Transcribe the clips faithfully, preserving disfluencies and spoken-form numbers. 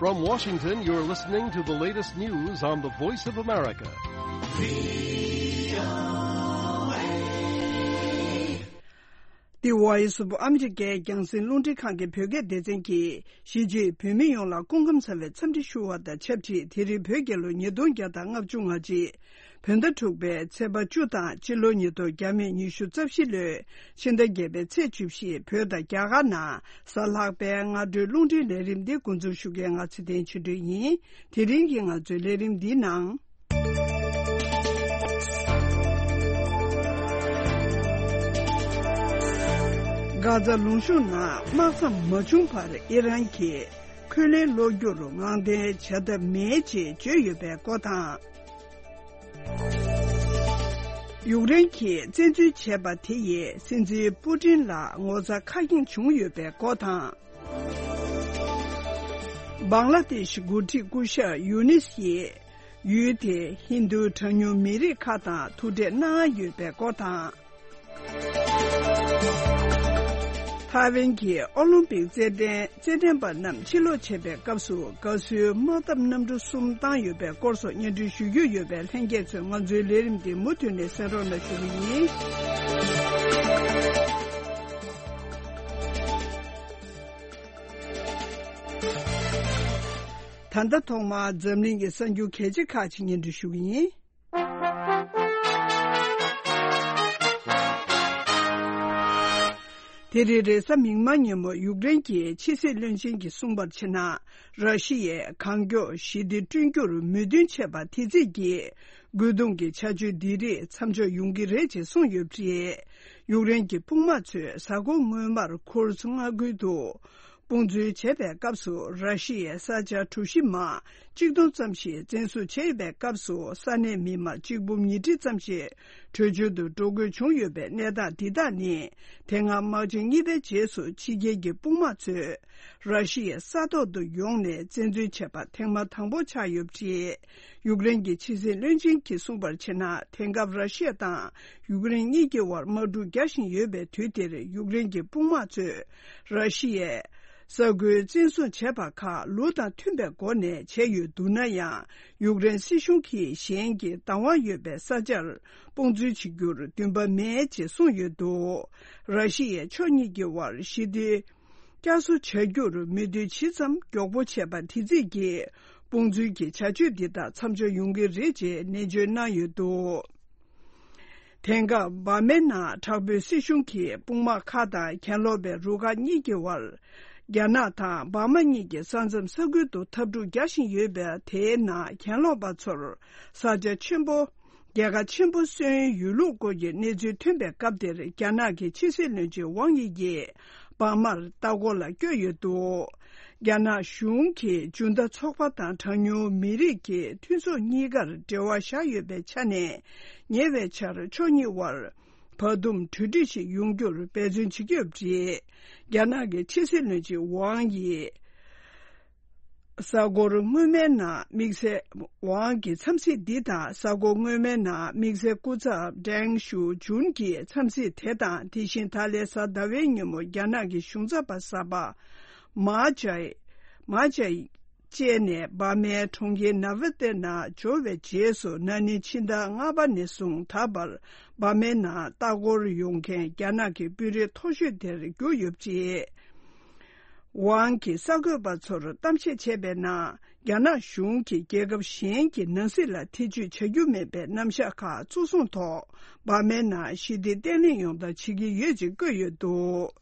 From Washington, you're listening to the latest news on the Voice of America. The Voice of America རྒྱང་སྲིང་རླུང་འཕྲིན་ཁང་གི་བོད་སྐད་སྡེ་ཚན་གྱིས་གཞིས་བྱེས་བོད་མི་ཡོངས་ལ་སྐུ་ཁམས་བཟང་བའི་འཚམས་འདྲི་ཞུ་བ་དང་ཆབས་ཅིག་དེ་རིང་བོད་རྒྱལ་ལོ་ཉིས་སྟོང་བརྒྱ་དང་ལྔ་བཅུ་ང་གཅིག་བོད་ཟླ་དྲུག་པའི་ཚེས་པ་བཅུ་དང་སྤྱི་ལོ་ཉིས་སྟོང་བརྒྱ་མེད་ཉི་ཤུ་རྩ་བཞི་ལོའི་ཕྱི་ཟླ་བརྒྱད་པའི་ཚེས་བཅུ་བཞི། བོད་དང་རྒྱ་གར་ནང་གཟའ་ལྷག་པའི་སྔ་དྲོའི་རླུང་འཕྲིན་ལས་རིམ་འདི་འགོ་འཛུགས་ཞུ་མཁན་ང་ཚེ་བརྟན་ཆོས་སྒྲོན་ཡིན། དེ་རིང་གི་ང་ཚོའི་ལས་རིམ་འདིའི་ནང་། གྷ་ཛ་ལུང་གཤོང་ནང་དམག་མཚམས་མ་བྱུང་བར་ཨི་རན་གྱིས་འཁོན་ལན་སློག་རྒྱུར་ངང་འཐེན་བྱ་ཐབས་མེད་ཅེས་བརྗོད་ཡོད་པའི་སྐོར་དང་། ཡུཀ་རེན་གྱིས་བཙན་འཛུལ་བྱས་པ་དེ་ཡིས་སྲིད་འཛིན་པུ་ཏིན་ལ་ངོ་ཚ་ཁ་སྐྱེངས་བྱུང་ཡོད་པའི་སྐོར་དང་། བང་ལ་དེཤ་འགོ་ཁྲིད་སྐུ་ཞབས་ཡུ་ནིས་ཡིས་ཡུལ་དེའི་ཧིན་རྡུ་གྲངས་ཉུང་མི་རིགས་ཁག་དང་ཐུག་འཕྲད་གནང་ཡོད་པའི་སྐོར་དང་། ཐའེ་ཝན་གྱི་ཨོ་ལིམ་པིག་རྩེད་འགྲན་རྩེད་འགྲན་པ་རྣམས་ཕྱིར་ལོག་བྱེད་པའི་སྐབས་སུ་དགའ་བསུའི་དམག་འཐབ་གནམ་གྲུ་གསུམ་བཏང་ཡོད་པའི་སྐོར་སོགས་སྙན་སྒྲོན་ཞུ་རྒྱུ་ཡོད་པས། ལྷན་རྒྱས་ཚོས་ང་ཚོའི་ལས་རིམ་འདི་མུ་མཐུད་ནས་གསན་རོགས་གནང་ཞུ་གི་ཡིན། ད་ལྟ་ཐོག་མར་འཛམ་གླིང་གི་གསར་འགྱུར་གལ་ཆེ་ཁག་ཅིག་སྙན་སྒྲོན་ཞུ་གི་ཡིན། དེ་རིང་རེས་གཟའ་མིག་དམར་ཉིན་མོ་ཡུཀ་རེན་གྱི་ཕྱི་སྲིད་བློན་ཆེན་གྱིས་གསུངས་པར་བྱས་ན། ར་ཤི་ཡས་གང་མགྱོགས་ཞི་བདེ་བསྐྲུན་རྒྱུར་མོས་མཐུན་བྱས་པ་དེ་རྩིས་ཀྱིས་རྒོལ་རྡུང་གི་བྱ་སྤྱོད་འདི་རིགས་མཚམས་འཇོག་ཡོང་གི་རེད་ཅེས་གསུངས་ཡོད་པ་རེད། ཡུཀ་རེན་གྱི་དཔུང་དམག་ཚོས་གཟའ་འཁོར་སྔོན་མར་ཁུར་སི་མངའ་ཁུལ་དུ། དཔུང་འཛུལ་བྱས་པའི་སྐབས་སུ་ར་ཤི་ཡའི་ས་ཆ་གྲུ་བཞི་མ་གཅིག་སྟོང་ཙམ་ཞིག་བཙན་བཟུང་བྱས་པའི་སྐབས་སུ་ས་གནས་མི་མང་གཅིག་འབུམ་ཉིས་ཁྲི་ཙམ་ཞིག་བྲོས་བྱོལ་དུ་འགྲོ་དགོས་བྱུང་ཡོད་པའི་གནས་སྟངས་འདི་དག་ནི་དེ་སྔ་དམག་ཆེན་གཉིས་པའི་རྗེས་སུ་ཕྱི་རྒྱལ་གྱི་དཔུང་དམག་ཚོས་ར་ཤི་ཡའི་ས་ཐོག་ཏུ་ཡོང་ནས་བཙན་འཛུལ་བྱས་པ་ཐེངས་མ་དང་པོ་ཆགས་ཡོད་པ་རེད། ཡུཀ་རེན་གྱི་ཕྱི་སྲིད་བློན་ཆེན་གྱིས་གསུངས་པར་བྱས་ན། དེང་སྐབས་ར་ཤི་ཡ་དང་ཡུཀ་རེན་གཉིས་ཀྱི་དབར་དམག་འཁྲུག་རྒྱག་བཞིན་ཡོད་པའི་དུས་འདིར་ཡུཀ་རེན་གྱི་དཔུང་དམག་ཚོས་ར་ཤི་ཡའི་ས་ཁུལ་བཙན་བཟུང་བྱས་པ་ཁག་ལུགས་དང་མཐུན་པའི་སྒོ་ནས་བྱས་ཡོད་འདུག་ན་ཡང་། ཡུཀ་རེན་སྲིད་གཞུང་གིས་གཞན་གྱི་བདག་དབང་ཡོད་པའི་ས་ཆར་དཔུང་འཛུལ་བྱེད་རྒྱུར་འདུན་པ་མེད་ཅེས་གསུངས་ཡོད་འདུག་ར་ཤི་ཡའི་ཕྱོགས་གཉིས་ཀྱི་དབར་ཞི་བདེ་བསྐྱར་གསོ་བྱ་རྒྱུར་མོས་མཐུན་ཇི་ཙམ་མགྱོགས་པོ་བྱས་པ་དེ་རྩིས་ཀྱིས་དཔུང་འཛུལ་གྱི་བྱ་སྤྱོད་འདི་དག་མཚམས་འཇོག་ཡོང་གི་རེད་ཅེས་ནན་བརྗོད་གནང་ཡོད་འདུག་དེང་སྐབས་འབར་མའི་ནང་དྲག་པོའི་སྲིད་གཞུང་གིས་དཔུང་དམག་ཁག་དང་གྱེན་ལོག་པའི་རུ་ཁག་གཉིས་ཀྱི་དབར། རྒྱ་ནག་དང་འབར་མ་གཉིས་ཀྱི་ས་མཚམས་ས་ཁུལ་དུ་འཐབ་འཁྲུག་རྒྱག་བཞིན་ཡོད་པའི་དེའི་ནང་གྱེན་ལོག་པ་ཚོར་ས་ཆ་ཆེན་པོ། རྒྱལ་ཁ་ཆེན་པོ་སོན་ཡོད་ལུགས་སྐོར་གྱི་གནས་ཚུལ་ཐོན་པའི་སྐབས་དེར། རྒྱ་ནག་གི་ཕྱི་སྲིད་བློན་ཆེན་ཝང་དབྱི་ཡིས་འབར་མར་ལྟ་སྐོར་ལ་བསྐྱོད་ཡོད་འདུག་རྒྱ་ནག་གཞུང་གིས་ཇུན་ཏ་ཚོགས་པ་དང་གྲངས་ཉུང་མི་རིགས་ཀྱི་མཐུན་ཚོགས་གཉིས་ཀར་འབྲེལ་བ་བཞག་ཡོད་པའི་ཆ་ནས། ཉེ་བའི་ཆར་ཕྱོགས་གཉིས་དབར་བར་འདུམ་གྲོས་འགྲིག་ཞིག་ཡོང་རྒྱུར་འབད་བརྩོན་བྱེད་ཀྱི་ཡོད་པ་རེད། རྒྱ་ནག་གི་ཕྱི་སྲིད་བློན་ཆེན་ཝང་དབྱི། གཟའ་འཁོར་སྔོན་མའི་ནང་དམིགས་བསལ་ཝང་གི་འཚམས་གཟིགས་འདི་དང་། གཟའ་འཁོར་སྔོན་མའི་ནང་དམིགས་བསལ་སྐུ་ཚབ་ཀྲེང་ཞུ་ཅུན་གྱི་འཚམས་གཟིགས་དེ་དང་། དེ་བཞིན་ད་ལན་གཟའ་ཟླ་བའི་ཉིན་མོ་རྒྱ་ནག་གི་གཞུང་ཚབ་པ་གསར་པ་མཱ་ཅའི་མཱ་ཅའི་བཅས་ནས་འབར་མའི་གྲོང་ཁྱེར་ནཱ་ཧྥི་ཏེ་ནང་འབྱོར་བའི་རྗེས་སུ། ན་ནིང་ཕྱི་ཟླ་ལྔ་པ་ནས་བཟུང་ད་བར་འབར་མའི་ནང་ལྟ་སྐོར་ཡོང་མཁན་རྒྱ་ནག་གི་དཔོན་རིགས་མཐོ་ཤོས་དེར་གྱུར་ཡོད་པ་རེད། ཝང་གིས་གསར་འགོད་པ་ཚོར་གཏམ་བཤད་བྱས་པའི་ནང་། རྒྱ་ནག་གཞུང་གིས་རྒྱལ་ཁབ་གཞན་གྱི་ནང་སྲིད་ལ་ཐེ་ཇུས་བྱ་རྒྱུ་མེད་པའི་རྣམ་གཞག་ཁག་གཙོ་བཟུང་ཐོག་འབར་མའི་ནང་ཞི་བདེ་བརྟན་ལྷིང་ཡོང་ཐབས་བྱེད་ཀྱི་ཡོད་ཅེས་བཀོད་ཡོད་འདུག་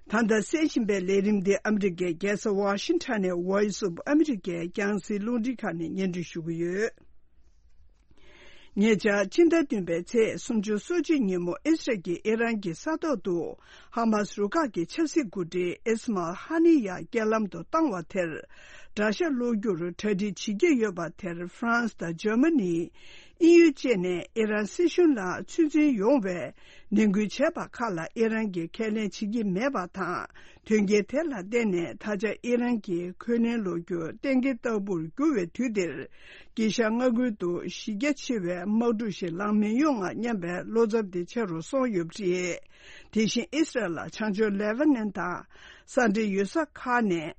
ད་ལྟ་གསན་བཞིན་པའི་ལས་རིམ་འདི་ཨ་མི་རི་ཀའི་རྒྱལ་ས་ཝ་ཤིང་ཊོན་ནས་Voice of America རྒྱང་སྲིང་རླུང་འཕྲིན་ཁང་ནས་སྙན་སྒྲོན་ཞུ་གི་ཡོད། ཉེ་ཆར་ཕྱི་ཟླ་བདུན་པའི་ཚེས་སོ་གཅིག་ཉིན་མོ་ཨི་སི་རལ་གྱིས་ཨི་རན་གྱི་ས་ཐོག་ཏུ་ཧ་མཱ་སི་རུ་ཁག་གི་ཆབ་སྲིད་འགོ་ཁྲིད་ཨིས་མཱལ་ཧ་ནི་ཡ་རྐྱེན་ལམ་དུ་བཏང་བ་དེར་དགྲ་ཤ་སློག་རྒྱུར་གྲ་སྒྲིག་བྱེད་ཀྱི་ཡོད་པ་དེར། ཧྥ་རན་སི་དང་འཇར་མ་ནི། དབྱིན་ཡུལ་བཅས་ནས་ཨི་རན་སྲིད་གཞུང་ལ་ཚོད་འཛིན་ཡོང་བའི་ནན་སྐུལ་བྱས་པ་ཁག་ལ་ཨི་རན་གྱིས་ཁས་ལེན་བྱེད་ཀྱི་མེད་པ་དང་། དོན་རྐྱེན་དེ་ལ་བརྟེན་ནས་ད་ཆ་ཨི་རན་གྱིས་འཁོན་ལན་སློག་རྒྱུ་གཏན་འཁེལ་ལྟ་བུར་གྱུར་བའི་དུས་འདིར། དཀྱིལ་ཤར་མངའ་ཁུལ་དུ་གཞི་རྒྱ་ཆེ་བའི་དམག་འཁྲུག་ཞིག་ལངས་མི་ཡོང་ངམ་སྙམ་པའི་བློ་འཚབ་དེ་ཆེ་རུ་སོང་ཡོད་པ་རེད། དེ་བཞིན་ཨི་སི་རལ་ལ་བྱང་ཕྱོགས་ལེ་བྷ་ནན་དང་ས་འདྲེས་ཡོད་ས་ཁག་ནས།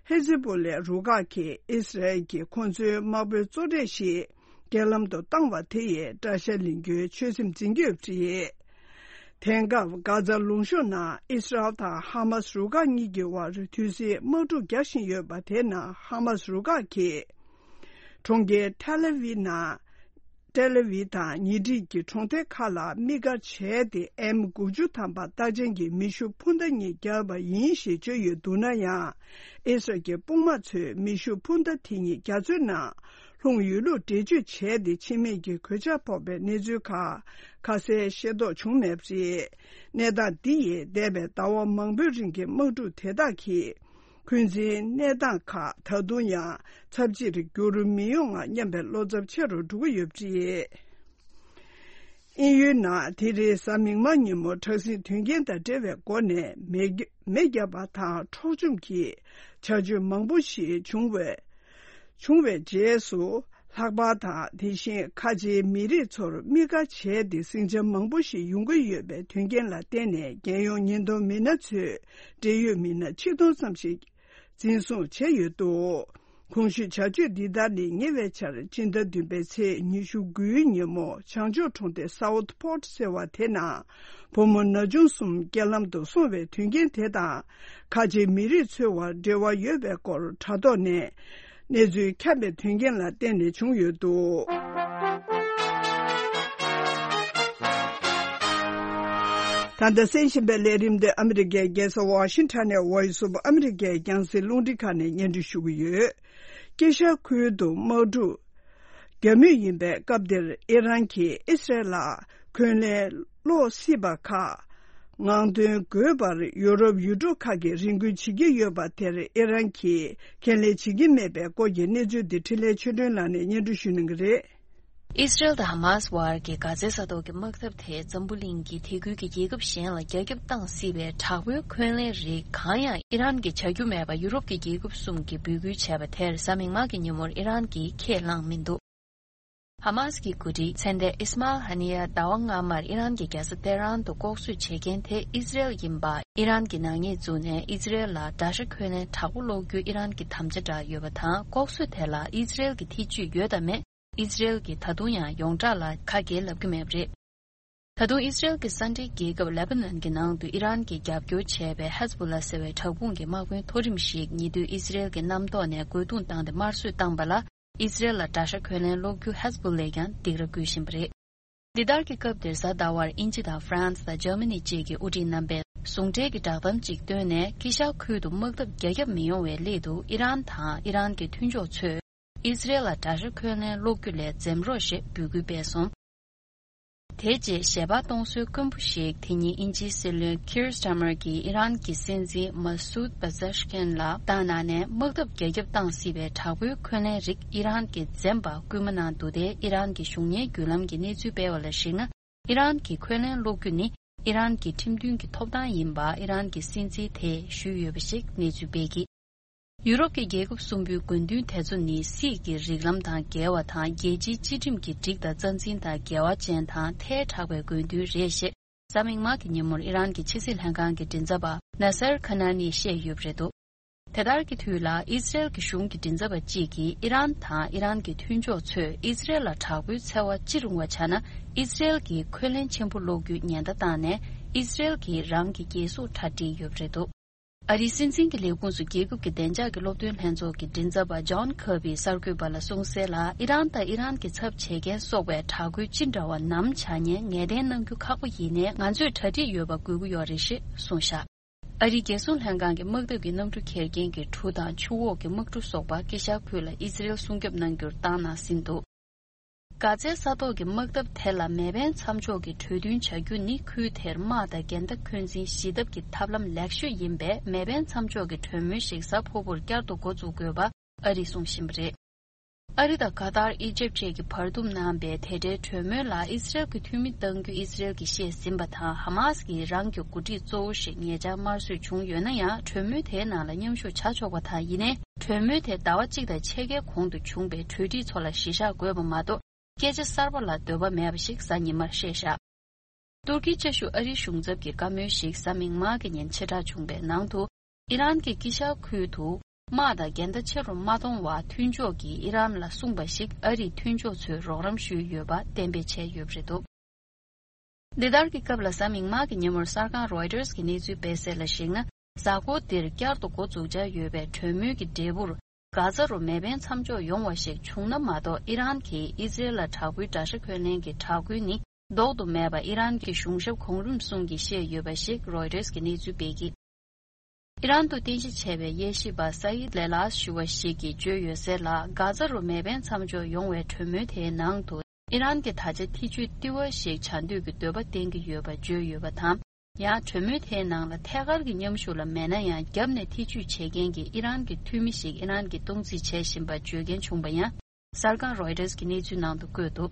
ཧེ་ཛི་པོ་ལའི་རུ་ཁག་གིས་ཨི་སི་རལ་གྱིས་ཁོང་ཚོའི་དམག་དཔོན་གཙོ་གྲས་ཤིག་རྐྱེན་ལམ་དུ་བཏང་བ་དེ་ཡིས་དགྲ་ཤ་ལེན་རྒྱུའི་ཆོད་སེམས་འཛིན་གྱི་ཡོད་པ་རེད། དེང་སྐབས་གྷ་ཛ་ལུང་གཤོང་ནང་ཨི་སི་རལ་དང་ཧ་མཱ་སི་རུ་ཁག་གཉིས་ཀྱི་དབར་དུས་ཟིང་དམག་འཁྲུག་རྒྱག་བཞིན་ཡོད་པ་དེ་ནང་ཧ་མཱ་སི་རུ་ཁག་གིས། གྲོང་ཁྱེར་ཐེལ་ཨ་ཝི་ནང་། ཏེལ་ཨ་ཝི་དང་ཉེ་འཁྲིས་ཀྱི་གྲོང་སྡེ་ཁག་ལ་དམིགས་བཀར་བྱས་ཏེ་ཨེམ་དགུ་བཅུ་ཐམ་པ་རྟགས་ཅན་གྱི་མེ་ཤུགས་འཕུར་མདའ་གཉིས་བརྒྱབ་པ་ཡིན་ཞེས་བརྗོད་ཡོད་འདུག་ན་ཡང་། ཨི་སི་རལ་གྱི་དཔུང་དམག་ཚོས་མེ་ཤུགས་འཕུར་མདའ་དེ་གཉིས་རྒྱ་མཚོའི་ནང་ལྷུང་ཡོད་ལུགས་འགྲེལ་བརྗོད་བྱས་ཏེ་ཕྱི་མིག་གི་གོད་ཆག་ཕོག་པའི་གནས་ཚུལ་ཁག་ཁ་གསལ་ཤེས་རྟོགས་བྱུང་མེད་པ་རེད། གནས་སྟངས་འདི་ཡིས་འདས་པའི་ཟླ་བ་མང་པོའི་རིང་གི་དམག་འཁྲུག་དེ་དག་གིས། འཁོན་འཛིན་གནས་སྟངས་ཁག་ད་དུང་ཡང་ཚབས་ཆེར་འགྱུར་མི་ཡོང་ང་སྙམ་པའི་བློ་འཚབ་ཆེ་རུ་འགྲོ་གི་ཡོད་པ་རེད། དབྱིན་ཡུལ་ནང་དེ་རིང་གཟའ་མིག་དམར་ཉིན་མོ་དྲག་ཟིང་དོན་རྐྱེན་དང་འབྲེལ་བའི་སྒོ་ནས་མེ་མེ་བརྒྱབ་པ་དང་འཕྲོག་བཅོམ་གྱི་བྱ་སྤྱོད་མང་པོ་ཞིག་བྱུང་བས། བྱུང་བའི་རྗེས་སུ། ལྷག་པར་དང་དེ་བཞིན་ཁ་ཆེའི་མི་རིགས་ཚོར་དམིགས་བཀར་བྱས་ཏེ་ཟིང་ཆ་མང་པོ་ཞིག་ཡོང་གི་ཡོད་པའི་དོན་རྐྱེན་ལ་བརྟེན་ནས་རྒྱལ་ཡོངས་ཉེན་རྟོག་མི་སྣ་ཚོས་འབྲེལ་ཡོད་མི་སྣ་ཆིག་སྟོང་ཙམ་ཞིག་འཛིན་བཟུང་བྱས་ཡོད་འདུག་གོང་ཞུས་བྱ་སྤྱོད་འདི་དག་ནི་ཉེ་བའི་ཆར་སྤྱི་ཟླ་བདུན་པའི་ཚེས་ཉི་ཤུ་དགུའི་ཉིན་མོ་བྱང་ཕྱོགས་གྲོང་སྡེ་སའུ་ཐི་ཕོར་ཊི་ཟེར་བ་དེ་ནང་བུ་མོ་ན་ཆུང་གསུམ་རྐྱེན་ལམ་དུ་སོང་བའི་དོན་རྐྱེན་དེ་དང་། ཁ་ཆེའི་མི་རིགས་ཚོའི་དབར་འབྲེལ་བ་ཡོད་པའི་སྐོར་དྲ་ཐོག་ནས་གནས་ཚུལ་ཁྱབ་པའི་དོན་རྐྱེན་ལ་བརྟེན་ནས་བྱུང་ཡོད་འདུག་ད་ལྟ་གསན་བཞིན་པའི་ལས་རིམ་དེ་ཨ་མི་རི་ཀའི་རྒྱལ་ས་ཝ་ཤིང་ཊོན་ནས་Voice of America་རྒྱང་སྲིང་རླུང་འཕྲིན་ཁང་ནས་སྙན་སྒྲོན་ཞུ་གི་ཡོད། དཀྱིལ་ཤར་ཁུལ་དུ་དམག་འཁྲུག་རྒྱག་མུས་ཡིན་པའི་སྐབས་འདིར་ཨི་རན་གྱིས་ཨི་སི་རལ་ལ་འཁོན་ལན་སློག་སྲིད་པ་ཁག་ངང་སྟོན་དགོས་པར་ཡུ་རོབ་ཡུལ་གྲུ་ཁག་གིས་རེ་སྐུལ་བྱེད་ཀྱི་ཡོད་པ་དེར་ཨི་རན་གྱིས་ཁས་ལེན་བྱེད་ཀྱི་མེད་པའི་སྐོར་གྱི་གནས་ཚུལ་འདི་འཕྲིན་ལས་ཆོས་སྒྲོན་ལགས་ནས་སྙན་སྒྲོན་ཞུ་གནང་གི་རེད། ཨི་སི་རལ་དང་ཧ་མཱ་སི་དབར་གྱི་གྷ་ཛའི་ས་ཐོག་གི་དམག་འཐབ་དེ་འཛམ་བུ་གླིང་གི་དེ་ཁུལ་གྱི་རྒྱལ་ཁབ་གཞན་ལ་རྒྱ་ཁྱབ་བཏང་སྲིད་པའི་དྲག་པོའི་འཁོན་ལན་རིགས་གང་ཡང་ཨི་རན་གྱིས་བྱ་རྒྱུ་མེད་པ་ཡུ་རོབ་ཀྱི་རྒྱལ་ཁབ་གསུམ་གྱིས་འབོད་སྐུལ་བྱས་པ་དེར་གཟའ་མིག་དམར་གྱི་ཉིན་མོར་ཨི་རན་གྱིས་ཁས་བླངས་མི་འདུག་ཧ་མཱ་སི་གི་འགོ་ཁྲིད་ཚན་ཏན་ཨིས་མཱལ་ཧ་ནི་ཡ་ཟླ་བ་སྔ་མར་ཨི་རན་གྱི་རྒྱལ་ས་ཏེ་རན་དུ་ལྐོག་གསོད་བྱེད་མཁན་དེ་ཨི་སི་རེལ་ཡིན་པ། ཨི་རན་གྱི་ནག་ཉེས་བཙུགས་ནས་ཨི་སི་རེལ་ལ་དགྲ་ཤ་འཁོན་ལན་དྲག་པོ་སློག་རྒྱུའི་ཨི་རན་གྱི་དམ་བཅའ་བསྒྲགས་ཡོད་པ་དང་། ལྐོག་གསོད་དེ་ལ་ཨི་སི་རེལ་གྱི་ཐེ་ཇུས་ཡོད་དམ་མེད། ཨི་སི་རེལ་གྱིས་ད་དུང་ཡང་ཡོངས་གྲགས་ལ་ཁ་འགེལ་ལབ་ཀྱི་མེད་པ་རེད། ད་དུང་ཨི་སི་རེལ་གྱི་ས་འབྲེལ་རྒྱལ་ཁབ་ལེ་པ་ནན་གྱི་ནང་དུ་ཨི་རན་གྱིས་རྒྱབ་སྐྱོར་བྱས་པའི་ཧེ་ཛ་བྷོ་ལ་ཟེར་བའི་དྲག་དཔུང་གི་དམག་དཔོན་མཐོ་རིམ་ཞིག་ཉེ་དུས་ཨི་སི་རེལ་གྱི་གནམ་ཐོག་ནས་རྒོལ་རྡུང་བཏང་སྟེ་དམར་གསོད་བཏང་བ་ལ། ཨི་སི་རེལ་ལ་དགྲ་ཤ་འཁོན་ལན་སློག་རྒྱུ་ཧེ་ཛ་བྷོ་ལས་ཀྱང་སྡིགས་ར་བསྐུལ་བཞིན་པ་རེད། འདི་ལྟར་གྱི་སྐབས་འདིར་གཟའ་ཟླ་བར་དབྱིན་ཇི་དང་ཧྥ་རན་སི་དང་འཇར་མ་ནི་བཅས་ཀྱི་དབུ་ཁྲིད་རྣམ་པས་ཟུང་འབྲེལ་གྱི་བསྒྲགས་གཏམ་ཅིག་བཏོན་ནས། དཀྱིལ་ཤར་ཁུལ་དུ་དམག་འཐབ་རྒྱ་ཁྱབ་མི་ཡོང་བའི་སླད་དུ་ཨི་རན་དང་ཨི་རན་གྱི་མཐུན་ཕྱོགས་ཚོས་ཨི་སི་རེལ་ལ་དགྲ་ཤ་འཁོན་ལན་སློག་རྒྱུ་ལས་འཛེམ་རོགས་ཞེས་འབོད་སྐུལ་སྤེལ་སོང་། དེ་རྗེས་ཞལ་པར་གཏོང་སྲོལ་དཀོན་པོ་ཞིག་དེ་ཉིན་དབྱིན་ཇིའི་སྲིད་བློན་ཁིར་སི་ཊ་མར་གྱིས་ཨི་རན་གྱི་སྲིད་འཛིན་མ་སུད་པ་ཛེ་ཤི་ཀན་ལ་བཏང་གནང་ནས། དམག་འཐབ་རྒྱ་ཁྱབ་བཏང་སྲིད་པའི་དྲག་པོའི་འཁོན་ལན་རིགས་ཨི་རན་གྱིས་འཛེམ་པར་སྐུལ་མ་གནང་འདུག་སྟེ། ཨི་རན་གྱི་གཞུང་གཉེར་བརྒྱུད་ལམ་གྱིས་གནས་ཚུལ་སྤེལ་བ་ལ་གཞིགས་ན། ཨི་རན་གྱིས་འཁོན་ལན་སློག་རྒྱུ་ནི་ཨི་རན་གྱི་ཁྲིམས་མཐུན་གྱི་ཐོབ་ཐང་ཡིན་པ་ཨི་རན་གྱི་སྲིད་འཛིན་དེས་ཞུས་ཡོད་པ་ཞིག་གནས་ཚུལ་སྤེལ་གྱི། ཡུ་རོབ་ཀྱི་རྒྱལ་ཁབ་གསུམ་པོའི་དགོས་འདུན་དེ་ཚོ་ནི་སྲིད་ཀྱི་རིགས་ལམ་དང་འགལ་བ་དང་། རྒྱལ་སྤྱིའི་སྤྱི་ཁྲིམས་ཀྱི་སྒྲིག་དང་རྩ་འཛིན་དང་འགལ་བ་ཅན་དང་ཐལ་དྲགས་པའི་དགོས་འདུན་རེད་ཞེས་གཟའ་མིག་དམར་གྱི་ཉིན་མོར་ཨི་རན་གྱི་ཕྱི་སྲིད་ལྷན་ཁང་གི་མགྲིན་ཚབ་པ་ན་སར་ཁ་ན་ནིས་བཤད་ཡོད་པ་རེད་འདུག་དེ་ལྟར་གྱི་དུས་ལ་ཨི་སི་རེལ་གྱི་གཞུང་གི་མགྲིན་ཚབ་པ་གཅིག་གིས་ཨི་རན་དང་ཨི་རན་གྱི་མཐུན་ཕྱོགས་ཚོས་ཨི་སི་རེལ་ལ་དྲག་པོའི་འཚེ་བ་ཅི་རུང་བ་བྱས་ན། ཨི་སི་རེལ་གྱིས་འཁོན་ལན་ཆེན་པོ་སློག་རྒྱུའི་ཉེན་བརྡ་བཏང་ནས། ཨི་སི་རེལ་གྱིས་རང་གི་རྒྱལ་སྲུང་གྲ་སྒྲིག་ཡོད་པ་རེད་འདུག་ཨ་རིའི་སྲིད་འཛིན་གྱི་ལས་ཁུངས་སུ་རྒྱལ་ཁབ་ཀྱི་བདེ་འཇགས་ཀྱི་སློབ་སྟོན་ལྷན་ཚོགས་ཀྱི་མགྲིན་ཚབ་པ་ཇོན་ཁར་བིས་གསར་འགོད་པ་ལ་གསུངས་གསལ་ལ། ཨི་རན་དང་ཨི་རན་གྱི་ཚབ་བྱེད་མཁན་སོགས་པའི་དྲག་རྒོལ་ཅི་འདྲ་བ་ནམ་བྱ་ཉན་ངེས་གཏན་གནང་རྒྱུ་ཁག་པོ་ཡིན་ནའི། ང་ཚོས་གྲ་སྒྲིག་ཡོད་པ་དགོས་ཀྱི་ཡོད་རེད་ཞེས་གསུངས་བཞག་ཨ་རིའི་རྒྱལ་སྲུང་ལྷན་ཁང་གིས་དམག་འཐབ་ཀྱི་གནམ་གྲུ་འཁྱེར་མཁན་གྱི་གྲུ་དང་ཆུ་འོག་གི་དམག་གྲུ་སོགས་པ་དཀྱིལ་ཤར་ཁུལ་ལ་ཨི་སི་རེལ་སྲུང་སྐྱོབ་གནང་རྒྱུར་བཏང་གནང་ཟིན་འདུག་གྷ་ཛའི་ས་ཐོག་གི་དམག་འཐབ་དེ་ལ་མེ་འཕེན་མཚམས་འཇོག་གི་གྲོས་མཐུན་བྱ་རྒྱུ་ནི་ཁུལ་དེར་དམག་དང་འགལ་ཟླ་འཁོན་འཛིན་ཞི་ཐབས་ཀྱི་ཐབས་ལམ་ལེགས་ཤོས་ཡིན་པས། མེ་འཕེན་མཚམས་འཇོག་གི་གྲོས་མོལ་ཞིག་གཟའ་ཕུར་བུར་བསྐྱར་དུ་འགོ་འཛུགས་དགོས་པ་ཨ་རིས་གསུངས་བཞིན་པ་རེད། ཨ་རི་དང་ཀ་ཏར། ཨི་ཇེབ་བཅས་ཀྱིས་བར་འདུམ་གནང་པའི་དེ་འབྲེལ་གྲོས་མོལ་ལ་ཨི་སི་རེལ་གྱི་འཐུས་མི་གཏང་རྒྱུ་ཨི་སི་རེལ་གྱིས་བཤད་ཟིན་པ་དང་། ཧ་མཱ་སི་ཀྱིས་རང་གི་འགོ་ཁྲིད་གཙོ་བོ་ཞིག་ཉེ་ཆར་དམར་གསོད་བྱུང་ཡོད་ན་ཡང་། གྲོས་མོལ་དེའི་ནང་ལ་མཉམ་ཞུགས་བྱ་ཆོག་པ་དང་། ཡིན་ནའི་གྲོས་མོལ་དེ་ཟླ་བ་གཅིག་དང་ཕྱེད་ཀའི་གོང་དུ་བྱུང་པའི་གྲོས་འགྲིག་ཚོ་ལ་གཞི་བཞག་དགོས་པ་མ་གཏོགས། སྐད་ཆ་གསར་པ་ལ་འདོད་པ་མེད་པ་ཞིག་གཟའ་ཉི་མར་བཤད་བཞག་ཏུར་ཀིའི་བཅའ་བཞུགས་ཨ་རིའི་གཞུང་ཚབ་ཀྱི་བཀའ་མོལ་ཞིག་གཟའ་མིག་དམར་གྱི་ཉིན་ཕྱིར་བསྒྲགས་བྱུང་བའི་ནང་དུ། ཨི་རན་གྱིས་དཀྱིལ་ཤར་ཁུལ་དུ་ དམག་དང་འགལ་ཟླ་ཆེ་རུ་མ་གཏོང་བར་མཐུན་ཕྱོགས་ཀྱིས་ཨི་རན་ལ་གསུངས་པ་ཞིག་ཨ་རིའི་མཐུན་ཕྱོགས་ཚོས་རོགས་རམ་ཞུས་ཡོད་པ་གཏན་འབེབས་བྱས་ཡོད་པ་རེད་འདུག་འདི་ལྟར་གྱི་སྐབས་ལ་གཟའ་མིག་དམར་གྱི་ཉིན་མོར་གསར་ཁང་Reuters་གྱི་གནས་ཚུལ་སྤེལ་གསལ་ལ་གཞིགས་ན། གཟའ་འཁོར་འདིར་བསྐྱར་དུ་འགོ་འཛུགས་འཆར་ཡོད་པའི་གྲོས་མོལ་གྱི་འབྲས་བུར། གྷ་ཛ་རུ་མེ་འཕེན་མཚམས་འཇོག་ཡོང་བ་ཞིག་བྱུང་ན་མ་གཏོགས། ཨི་རན་གྱིས་ཨི་ཛི་རལ་ལ་དྲག་པོའི་དགྲ་ཤ་འཁོལ་ལེན་གྱི་དྲག་རྒོལ་ནི་ལྡོག་ཏུ་མེད་པ་ཨི་རན་གྱི་གཞུང་ཞབས་གོང་རིམ་གསུམ་གྱིས་བཤད་ཡོད་པ་ཞིག་Reuters་གྱི་གནས་ཚུལ་སྤེལ་གྱིས། ཨི་རན་དུ་རྟེན་གཞི་བྱས་པའི་དབྱེ་ཞིབ་པ་སཱ་ཡིད་ལེ་ལཱས་ཞུ་བ་ཞིག་གིས་བརྗོད་ཡོད་གསལ་ལ། གྷ་ཛ་རུ་མེ་འཕེན་མཚམས་འཇོག་ཡོང་བའི་གྲོས་མོལ་དེའི་ནང་དུ། ཨི་རན་གྱིས་ད་ཆ་ཐེ་ཇུས་ལྟེ་བ་ཞིག་བྱ་འདོད་ཀྱི་འདོད་པ་བསྟན་གྱི་ཡོད་པ་བརྗོད་ཡོད་པ་དང་། ཡང་གྲོས་མོལ་དེའི་ནང་ལ་ཐད་ཀར་གྱི་མཉམ་ཞུགས་ལ་མེད་ན་ཡང་། རྒྱབ་ནས་ཐེ་ཇུས་བྱེད་མཁན་གྱི་ཨི་རན་གྱི་འཐུས་མི་ཞིག་ཨི་རན་གྱིས་སྟངས་འཛིན་བྱས་བཞིན་པ་བརྗོད་མཁན་བྱུང་པ་ཡང་། གསར་ཁང་Reuters་གྱི་གནས་ཚུལ་ནང་དུ་བཀོད་འདུག་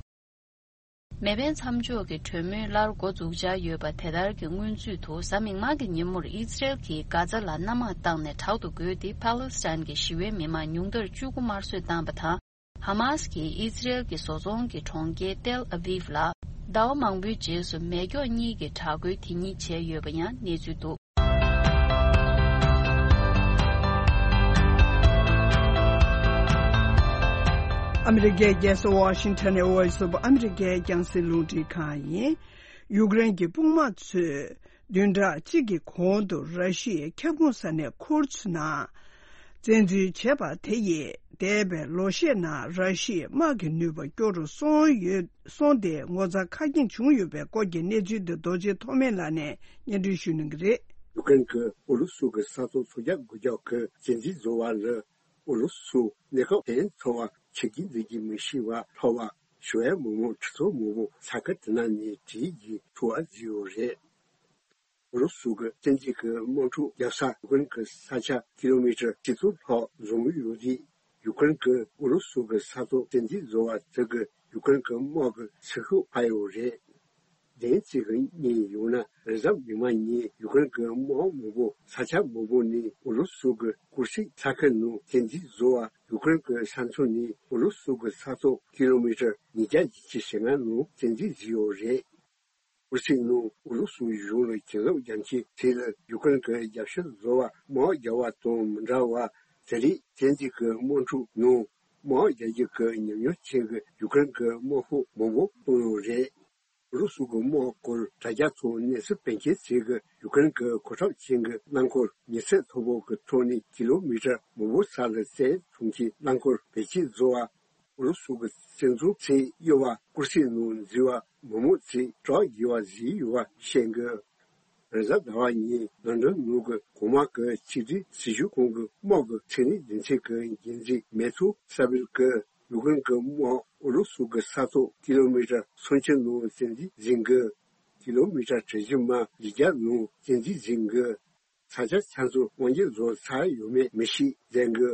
མེ་འཕེན་མཚམས་འཇོག་གི་གྲོས་མོལ་སླར་འགོ་འཛུགས་འཆར་ཡོད་པ་དེ་ལྟར་གྱི་སྔོན་ཚུད་དུ། གཟའ་མིག་དམར་གྱི་ཉིན་མོར་ཨི་ཛི་རལ་གྱིས་གྷ་ཛ་ལ་གནམ་དམག་བཏང་ནས་དྲག་ཏུ་རྒོལ་ཏེ། ཕཱ་ལེ་སི་ཐན་གྱི་ཞི་བའི་མི་མང་ཉུང་མཐར་བཅུ་དགུ་དམར་གསོད་བཏང་བ་དང་། ཧ་མཱས་ཀྱིས་ཨི་ཛི་རལ་གྱི་བཟོ་ཚོང་གི་གྲོང་ཁྱེར་ཏེལ་ཨ་བིབ་ལ་ཟླ་བ་མང་པོའི་རྗེས་སུ་མེ་སྒྱོགས་གཉིས་ཀྱི་དྲག་རྒོལ་དེ་ཉིད་བྱས་ཡོད་པ་ཡང་གནས་ཚུལ་འདུག་ཨ་མི་རི་ཀའི་རྒྱལ་ས་ཝ་ཤིང་ཊོན་ནས་Voice of America་རྒྱང་སྲིང་རླུང་འཕྲིན་ཁང་ཡིན། ཡུཀ་རེན་གྱི་དཔུང་དམག་ཚོས་བདུན་ཕྲག་གཅིག་གི་གོང་དུ་ར་ཤི་ཡའི་ཁྱབ་ཁོངས་ས་གནས་ཁུར་ཚོའི་ནང་བཙན་འཛུལ་བྱས་པ་དེ་ཡིས་འདས་པའི་ལོ་ཤས་ནང་ར་ཤི་ཡའི་དམག་གི་ནུས་པ་སྐྱོ་རུ་སོང་ཡོད་སོང་སྟེ་ངོ་ཚ་ཁ་སྐྱེངས་བྱུང་ཡོད་པའི་སྐོར་གྱི་གནས་ཚུལ་འདི་རྡོ་རྗེ་ཐོགས་མེད་ལགས་ནས་སྙན་སྒྲོན་ཞུ་གནང་གི་རེད། ཡུཀ་རེན་གྱིས་ཨུ་རུ་སུ་གྱི་ས་ཐོག་སུམ་བརྒྱ་དགུ་བརྒྱ་གི་བཙན་འཛུལ་བཟོ་བ་ལ། ཨུ་རུ་སུ་གནས་སྐབས་ཕན་ཐོགས་པ་བྱེད་ཀྱི་འདུག་གི་མི་ཤེས་པ་ལྷོ་པ་ཞི་བའི་མི་མང་ཁྲི་ཚོ་མང་པོ་ས་ཁུལ་དེ་ནང་ནས་བྲོས་ཀྱི་འཚོ་བ་བརྩིས་ཡོད་རེད། ཨུ་རུ་སུ་གི་བཙན་འཛུལ་གྱི་དམག་འཁྲུག་བརྒྱབ་ས་ཡུཀ་རེན་གྱི་ས་ཆ་ཀི་ལོ་མི་ཊར་ཁྲི་ཚོ་ལྷག་འཛོམས་ཡོད་རེད། ཡུཀ་རེན་གྱིས་ཨུ་རུ་སུ་གི་ས་ཐོག་བཙན་འཛུལ་བཟོ་བ་དེ་གིས་ཡུཀ་རེན་གྱི་དམག་གི་ཚེ་སྲོག་འཕར་ཡོད་རེད། བདེན་ཚིག་གི་གཉིས་ཡོང་ན་རེས་གཟའ་མིག་དམར་ཉིན་ཡུཀ་རེན་གྱི་དམག་མང་པོ་ས་ཆ་མང་པོ་ནས་ཨུ་རུ་སུ་གི་ཀུར་སིག་ས་ཁུལ་ནང་བཙན་འཛུལ་བཟོ་བ་ཡུཀ་རེན་གྱི་ས་མཚམས་ནས་ཨུ་རུ་སུ་གི་ས་ཐོག་ཀི་ལོ་མི་ཊར་ཉིས་བརྒྱ་ཉི་ཤུ་ཞེ་ལྔ་ནང་བཙན་འཛུལ་བཟོས་ཡོད་རེད། ཀུར་སིག་ནང་ཨུ་རུ་སུ་གཞུང་ལ་གྱེན་ལོག་རྒྱག་མཁན་ཚོ་ལ་ཡུཀ་རེན་གྱི་རྒྱབ་སྐྱོར་བཟོ་བར་དམག་རྒྱག་པ་དང་མི་འདྲ་བར་དེ་རིང་བཙན་འཛུལ་གྱི་དམག་འཁྲུག་ནང་དམག་རྒྱག་རྒྱུ་གི་ཉམས་མྱོང་ཅན་གྱི་ཡུཀ་རེན་གྱི་དམག་ཤོག་མང་པོ་བཏང་ཡོད་རེད། ཨུ་རུ་སུ་གི་དམག་སྐོར་དྲ་རྒྱ་ཐོག་གནས་ཚུལ་སྤེལ་མཁན་ཚོས་ཀྱིས་ཡུཀ་རེན་གྱི་གོ་ཁྲབ་ཅན་གྱི་རླངས་འཁོར་ཉི་ཚེག་མཐོ་པོ་གི་ཐོག་ནས་ཀི་ལོ་མི་ཊར་མང་པོ་ས་ལ་བཙན་བཟུང་གིས་རླངས་འཁོར་བེད་སྤྱོད་བཟོ་བ། ཨུ་རུ་སུ་གི་བཙན་འཛུལ་ཚོས་གཡོ་བ་ཀུར་སིག་ནང་འཛུལ་བ་མི་མང་ཚོས་སྐྲག་དགོས་པ་བཟོས་ཡོད་པ་བཤད་འདུག་རེས་གཟའ་ཟླ་བ་ཉིན་ལོན་ཌོན་ནང་གི་གོང་དམག་གི་ཆིག་སྒྲིལ་སྲིད་གཞུང་ཁང་གི་དམག་གི་མཚན་གནས་སྡེ་ཚན་གྱི་འགན་འཛིན་མེ་ཐུ་ས་བིལ་གྱིས་ཡུཀ་རེན་གྱི་དམག་ཨུ་རུ་སུ་གི་ས་ཐོག་ཀི་ལོ་མི་ཊར་སུམ་ཅུ་ནང་བཙན་འཛུལ་ཟིན་གྱི། ཀི་ལོ་མི་ཊར་གྲུ་བཞི་མ་བཞི་བརྒྱ་ནང་བཙན་འཛུལ་ཟིན་གྱི། ས་ཆ་ཆ་ཚང་དབང་སྒྱུར་བཟོ་ཚར་ཡོད་མེད་མི་ཤེས་ཟེར་གི།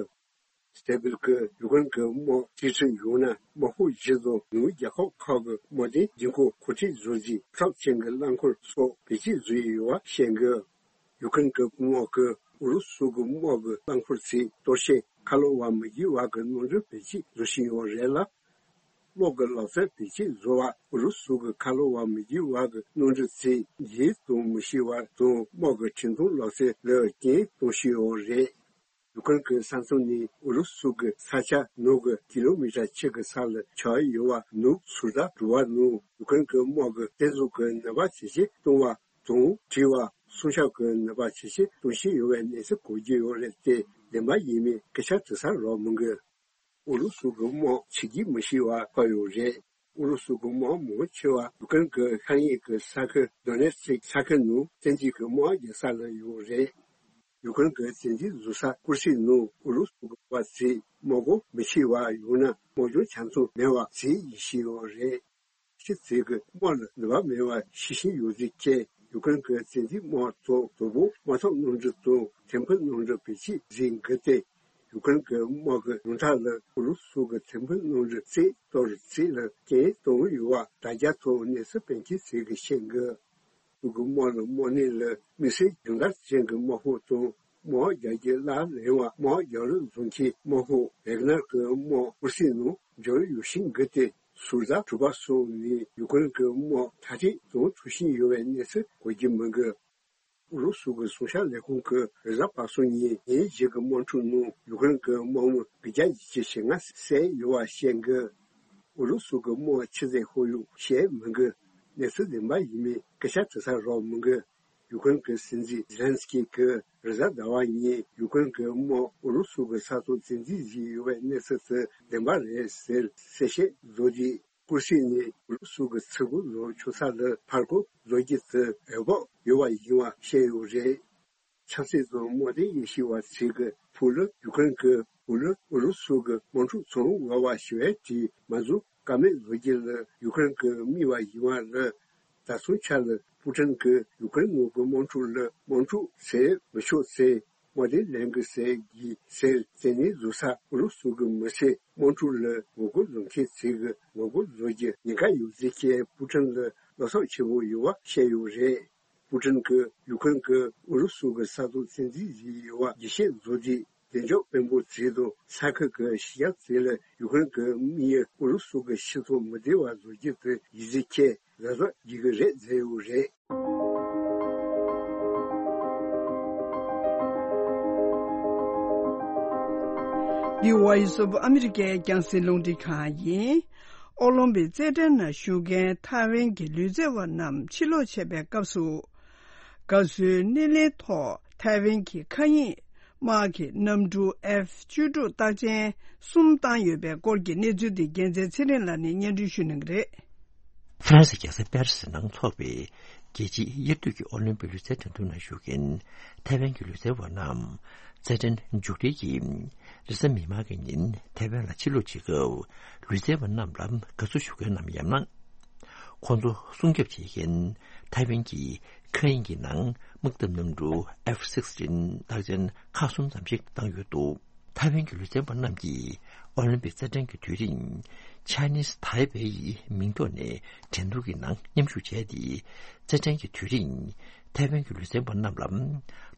སྟེ་བིལ་གྱིས་ཡུཀ་རེན་གྱི་དམག་རྩིས་ཁྲིད་ཡོང་ན་དམག་ཤོག་བཞི་དང་ནུབ་རྒྱལ་ཁབ་ཁག་གི་དམག་དོན་སྒྲིག་འཁོར་གོ་སྒྲིག་བཟོ་རྒྱུའི་ཁྲབ་ཅན་གྱི་རླངས་འཁོར་སོགས་བེད་སྤྱོད་བཟོས་ཡོད་པ་བཤད་གི། ཡུཀ་རེན་གྱི་དམག་གིས་ཨུ་རུ་སུ་གི་དམག་གི་རླངས་འཁོར་ཚོས་གཏོར་བཤིག་ཁ་ལོ་བ་མི་འགྱུར་བ་གི་གནམ་གྲུ་བེད་སྤྱོད་བཟོ་བཞིན་ཡོད་རེད་ལ། གློག་གི་ལག་རྩལ་བེད་སྤྱོད་བཟོ་བ་ཨུ་རུ་སུ་གི་ཁ་ལོ་བ་མི་འགྱུར་བ་གི་གནམ་གྲུ་ཚོས་འཇིགས་གཏོང་མི་ཤེས་པ་དང་དམག་གི་འཕྲིན་གཏོང་ལག་རྩལ་ལ་རྐྱེན་གཏོང་བཞིན་ཡོད་རེད། ཡུཀ་རེན་གྱི་ས་མཚམས་ནས་ཨུ་རུ་སུ་གི་ས་ཆ་ནང་གི་ཀི་ལོ་མི་ཊར་ཕྱེད་ཀྱི་ས་ལ་ཆགས་ཡོད་པ་ནུབ་སུར་ད་གྲུ་པ་ནང་ཡུཀ་རེན་གྱི་དམག་གི་རྩལ་འཛུགས་ཀྱི་ནུས་པ་ཇེ་ཆེ་གཏོང་བ་དང་བྲོས་པ་སྲུང་སྐྱོབ་ཀྱི་ནུས་པ་ཇེ་ཆེ་གཏོང་བཞིན་ཡོད་པའི་གནས་ཚུལ་གོ་རྒྱུ་ཡོད་རེད་དེ། བདེན་པ་ཡིན་མིན་སྐད་ཆ་དྲི་ས་རག་མི་འདུག་ཨུ་རུ་སུ་གི་དམག་བྱེད་ཀྱི་མི་ཤེས་པ་ཕར་ཡོད་རེད། ཨུ་རུ་སུ་གི་དམག་མང་ཆེ་བ་ཡུཀ་རེན་གྱི་ཤར་ཉེ་གི་ས་ཁུལ་དོ་ནེ་སིག་ས་ཁུལ་ནང་བཙན་འཛུལ་གྱི་དམག་རྒྱག་ས་ལ་ཡོད་རེད། ཡུཀ་རེན་གྱི་བཙན་འཛུལ་བཟོ་ས་ཀུར་སིག་ནང་ཨུ་རུ་སུ་གི་དམག་ཚོས་དམག་སྒོ་མི་ཕྱེ་བ་ཡང་ན་དམག་སྦྱོང་ཆ་ཚང་མེད་པ་བཟོས་ཡོད་ཞེས་ཡོད་རེད། ཕྱི་ཚེས་ཀྱི་དམག་ལ་ནུས་པ་མེད་པ་ཤེས་བཞིན་ཡོད་ཚུལ་བཅས། ཡུཀ་རེན་གྱི་བཙན་འཛུལ་དམག་ཐོག་དོ་པོ་དམག་འཐབ་གནམ་གྲུ་དང་ཐེམ་ཕུ་གནམ་གྲུ་བེད་སྤྱོད་བཟོས་འགོ་སྟེ། ཡུཀ་རེན་གྱི་དམག་གི་ཡོངས་གྲགས་ལ་ཨུ་རུ་སུ་གི་ཐེམ་ཕུ་གནམ་གྲུ་རྩིས་གཏོར་རྩིས་ལ་རྐྱེན་གཏོང་ཡོད་པ་དྲ་རྒྱ་ཐོག་གནས་ཚུལ་སྤེལ་མཁན་ཚོས་ཀྱིས་བཤད་འདུག་ཁོ་གི་དམག་ལ་དམག་གནས་ལ་དམིགས་བསལ་སྦྱོང་བརྡར་ཅན་གྱི་དམག་ཤོག་དང་དམག་རྒྱག་རྒྱུ་སླར་ལེན་པ་དམག་རྒྱག་རོགས་བཟོ་མཁན་དམག་ཤོག་ཝེག་ནར་གྱི་དམག་ཀུར་སིག་ནང་འབྱོར་ཡོད་ཤིང་འགུལ་ཏེ། ཟུར་ཟ་གྲུ་པ་སོགས་ནས་ཡུཀ་རེན་གྱི་དམག་མཐར་སྐྲོད་གཏོང་ཐུབ་བཞིན་ཡོད་པའི་གནས་ཚུལ་གོ་རྒྱུ་མི་འདུག་ཨུ་རུ་སུ་གི་སྲུང་སྐྱོབ་ལས་ཁུངས་ཀྱིས་རེས་གཟའ་པ་སངས་ཉིན་ཉིན་བཞི་གི་དམག་འཁྲུག་ནང་ཡུ་ཀེ་རེན་གྱི་དམག་མི་དགུ་བརྒྱ་ཉི་ཤུ་ཞེ་ལྔ་བསད་ཡོད་པ་བཤད་འདུག་ཨུ་རུ་སུ་གི་དམག་ཆུ་ཚད་ཁོར་ཡུག་བཤད་མི་དགོས། གནས་ཚུལ་བདེན་པ་ཡིན་མིན་སྐད་ཆ་དྲི་ས་རག་མི་དགོས། ཡུ་ཀེ་རེན་གྱི་སྲིད་འཛིན་ཛེ་ལན་སི་ཀི་གིས་རེས་གཟའ་ཟླ་བ་ཉིན་ཡུ་ཀེ་རེན་གྱི་དམག་ཨུ་རུ་སུ་གི་ས་ཐོག་བཙན་འཛུལ་བྱས་ཡོད་པའི་གནས་ཚུལ་དེ་བདེན་པ་རེད་ཟེར་གསལ་བཤད་བཟོ་རྗེས། ཀུར་སི་ནས་ཨུ་རུ་སུ་གི་ཚུར་རྒོལ་ལོག་ཆོག་ས་ལ་ཕར་རྒོལ་བཟོ་རྒྱུ་དེ་འོས་བབ་ཡོད་པ་ཡིན་པ་བཤད་ཡོད་རེད། ཆབ་སྲིད་དང་དམག་དོན་དབྱེ་ཞིབ་པ་ཚོས་ཀྱི་ཕུགས་ལ་ཡུ་ཀེ་རེན་གྱི་ཕུགས་ལ་ཨུ་རུ་སུ་གི་དམག་འཁྲུག་ཚང་འོས་པ་ཞུ་བའི་གྲས་མ་འཛུགས་ཀ་མེད་བཟོ་རྒྱུ་ལ་ཡུ་ཀེ་རེན་གྱིས་དམིགས་པ་ཡིན་པ་ལ། ད་སོང་ཆ་ལ་པུ་ཀྲིན་གྱིས་ཡུ་ཀེ་རེན་ནང་གི་དམག་འཁྲུག་ལ་དམག་འཁྲུག་ཟེར་མི་ཆོག་ཟེར། དམག་དོན་ལས་འགུལ་ཟེར་གྱི་ཟེར་རྩིས་ནས་བཟོ་ས་ཨུ་རུ་སུ་གི་མི་སེར་དམག་འཁྲུག་ལ་ངོ་རྒོལ་བཟོ་མཁན་ཚོས་ཀྱི་ངོ་རྒོལ་བཟོ་རྒྱུ་ཉེན་ཁ་ཡོད་ཚུལ་གྱི་པུ་ཀྲིན་ལ་བློ་འཚབ་ཆེན་པོ་ཡོད་པ་བཤད་ཡོད་རེད། པུ་ཀྲིན་གྱིས་ཡུ་ཀེ་རེན་གྱིས་ཨུ་རུ་སུ་གི་ས་ཐོག་བཙན་འཛུལ་བྱས་ཡོད་པ་འགྲེལ་བཤད་བཟོ་རྗེས། བདེ་འཇགས་དཔོན་པོ་ཚོས་དང་ས་ཁུལ་གྱི་གཞི་རྒྱ་ཚོས་ལ་ཡུ་ཀེ་རེན་གྱི་དམིགས་ཡུལ་ཨུ་རུ་སུ་གི་ཕྱི་སོང་མི་བདེ་བ་བཟོ་རྒྱུ་དེ་ཡིན་ཚུལ་གྱི་གཟབ་གཟབ་བྱེད་ཀྱི་རེད་ཟེར་ཡོད་རེད། འདི་ཝོ་ཡིས་ཨོཕ་ཨ་མི་རི་ཀའི་རྒྱང་སྲིང་རླུང་འཕྲིན་ཁང་ཡིན། ཨོ་ལིམ་པིག་རྩེད་འགྲན་ནང་ཞུགས་མཁན་ཐའེ་ཝན་གྱི་ལུས་རྩལ་བ་རྣམས་ཕྱིར་ལོག་བྱས་པའི་སྐབས་སུ། དགའ་བསུའི་སྣེ་ལེན་ཐོག་ཐའེ་ཝན་གྱི་མཁའ་དབྱིངས་དམག་གི་གནམ་གྲུ་ཨེཕ་བཅུ་དྲུག་རྟགས་ཅན་གསུམ་བཏང་ཡོད་པའི་སྐོར་གྱི་གནས་ཚུལ་དེ་རྒྱལ་མཚན་ཚེ་རིང་ལགས་ནས་སྙན་སྒྲོན་ཞུ་གནང་གི་རེད། ཧྥ་རན་སི་རྒྱལ་ས་པེ་རི་སི་ནང་འཚོགས་པའི་རྒྱལ་སྤྱིའི་དབྱར་དུས་ཀྱི་ཨོ་ལིམ་པིག་ལུས་རྩལ་འགྲན་བསྡུར་ནང་ཞུགས་མཁན་ཐའེ་ཝན་གྱི་ལུས་རྩལ་བ་རྣམས་རྩེད་འགྲན་མཇུག་སྒྲིལ་གྱིས་རེས་གཟའ་མིག་དམར་གྱི་ཉིན་ཐའེ་ཝན་ལ་ཕྱིར་ལོག་བྱེད་སྐབས། ལུས་རྩལ་བ་རྣམས་ལ་དགའ་བསུ་ཞུ་མཁན་ནམ་ཡང་ན། ཁོང་ཚོ་སྲུང་སྐྱོབ་བྱེད་མཁན་ཐའེ་ཝན་གྱི་མཁའ་དབྱིངས་ཀྱི་ནང་དམག་འཐབ་གནམ་གྲུ་ཨེཕ་སིགས་ཊིན་རྟགས་ཅན་ཁག་གསུམ་ཙམ་ཞིག་བཏང་ཡོད་འདུག་ཐའེ་ཝན་གྱི་ལུས་རྩལ་བ་རྣམས་ཀྱིས་ཨོ་ལིམ་པིག་རྩེད་འགྲན་གྱི་དུས་རིང་Chinese Taipei་ཡི་མིང་ཐོག་ནས་འགྲན་བསྡུར་གྱི་ནང་མཉམ་ཞུགས་བྱས་ཏེ། རྩེད་འགྲན་གྱི་དུས་རིང་ཐའེ་ཝན་གྱི་ལུས་རྩལ་བ་རྣམས་ལ་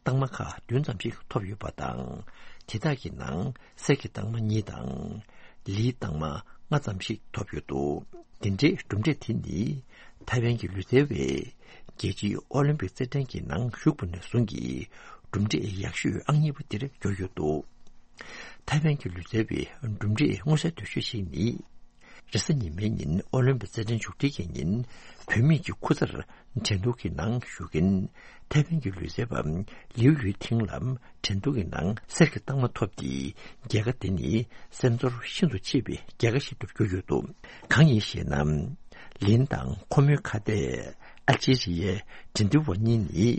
རྟགས་མ་ཁག་བདུན་ཙམ་ཞིག་ཐོབ་ཡོད་པ་དང་། དེ་དག་གི་ནང་གསེར་གྱི་རྟགས་མ་གཉིས་དང་། ལིའི་རྟགས་མ་ལྔ་ཙམ་ཞིག་ཐོབ་ཡོད་འདུག་དེ་འདྲའི་གྲུབ་འབྲས་དེ་ནི་ཐའེ་ཝན་གྱི་ལུས་རྩལ་བས་རྒྱལ་སྤྱིའི་ཨོ་ལིམ་པིག་རྩེད་འགྲན་གྱི་ནང་ཞུགས་པ་ནས་བཟུང་གི་གྲུབ་འབྲས་ཡག་ཤོས་ཨང་གཉིས་པ་དེར་གྱུར་ཡོད་འདུག་ཐའེ་ཝན་གྱི་ལུས་རྩལ་བའི་གྲུབ་འབྲས་མངོན་གསལ་དོད་ཤོས་ཤིག་ནི། རེས་གཟའ་ཉི་མའི་ཉིན་ཨོ་ལིམ་པིག་རྩེད་འགྲན་མཇུག་སྒྲིལ་གྱི་ཉིན་བུད་མེད་ཀྱི་ཁུ་ཚར་འགྲན་བསྡུར་གྱི་ནང་ཞུགས་མཁན་ཐའེ་ཝན་གྱི་ལུས་རྩལ་བ་ལིའུ་ཡུའི་ཐིང་ལ་འགྲན་བསྡུར་གྱི་ནང་གསེར་གྱི་རྟགས་མ་ཐོབ་སྟེ་རྒྱལ་ཁ་དེ་ནི་སེམས་ཚོར་ཤིན་ཏུ་ཆེ་བའི་རྒྱལ་ཁ་ཞིག་ཏུ་གྱུར་ཡོད་འདུག་གང་ཡིན་ཞེ་ན། ལིན་དང་ཁོ་མོའི་ཁ་གཏད་ཨལ་ཇི་རི་ཡའི་འགྲན་བསྡུར་བ་གཉིས་ནི་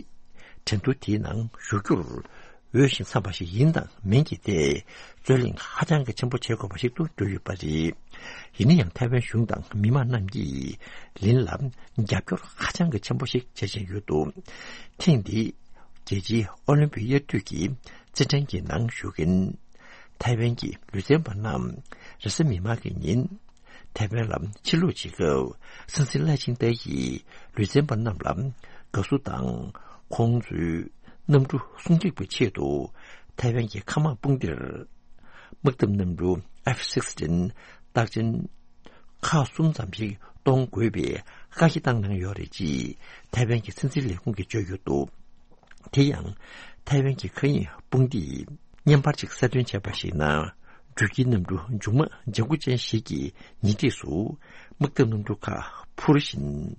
འགྲན་བསྡུར་དེའི་ནང་ཞུགས་རྒྱུར། འོས་ཤིང་འཚམས་པ་ཞིག་ཡིན་དང་མིན་གྱི་ཐད་རྩོད་གླེང་ཧ་ཅང་གི་ཆེན་པོ་བྱེད་དགོས་པ་ཞིག་ཏུ་གྱུར་ཡོད་པ་རེད། ཡིན་ན་ཡང་ཐའེ་ཝན་གཞུང་དང་མི་མང་རྣམས་ཀྱིས་ལིན་ལ་རྒྱབ་སྐྱོར་ཧ་ཅང་གི་ཆེན་པོ་ཞིག་བྱེད་བཞིན་ཡོད་འདུག་ཐེངས་འདིའི་རྒྱལ་སྤྱིའི་ཨོ་ལིམ་པིག་དབྱར་དུས་ཀྱི་རྩེད་འགྲན་གྱི་ནང་ཞུགས་མཁན་ཐའེ་ཝན་གྱི་ལུས་རྩལ་བ་རྣམས་རེས་གཟའ་མིག་དམར་གྱི་ཉིན། ཐའེ་ཝན་ལ་ཕྱིར་ལོག་བྱེད་སྐབས་སྲིད་འཛིན་ལའེ་ཆིང་ཏེ་ཡིས་ལུས་རྩལ་བ་རྣམས་ལ་དགའ་བསུ་དང་ཁོང་ཚོའི་གནམ་གྲུ་སྲུང་སྐྱོབ་ཀྱི་ཆེད་དུ་ཐའེ་ཝན་གྱི་མཁའ་དམག་དཔུང་སྡེར་དམག་འཐབ་གནམ་གྲུ་ཨེཕ་སིགས་ཊིན་རྟགས་ཅན་ཁག་གསུམ་ཙམ་ཞིག་གཏོང་དགོས་པའི་བཀའ་རྒྱ་བཏང་གནང་ཡོད་རེད་ཅེས་ཐའེ་ཝན་གྱི་སྲིད་འཛིན་ལས་ཁུངས་ཀྱིས་བརྗོད་ཡོད་འདུག་དེ་ཡང་ཐའེ་ཝན་གྱི་མཁའ་དབྱིངས་དཔུང་སྡེས་བརྙན་པར་ཅིག་གསལ་སྟོན་བྱས་པར་གཞིགས་ན། འགྲུལ་སྐྱེལ་གནམ་གྲུ་མཇུག་མ་ལྗང་ཁུ་ཅན་ཞིག་གི་ཉེ་འཁྲིས་སུ་དམག་འཐབ་གནམ་གྲུ་ཁག་འཕུར་བཞིན།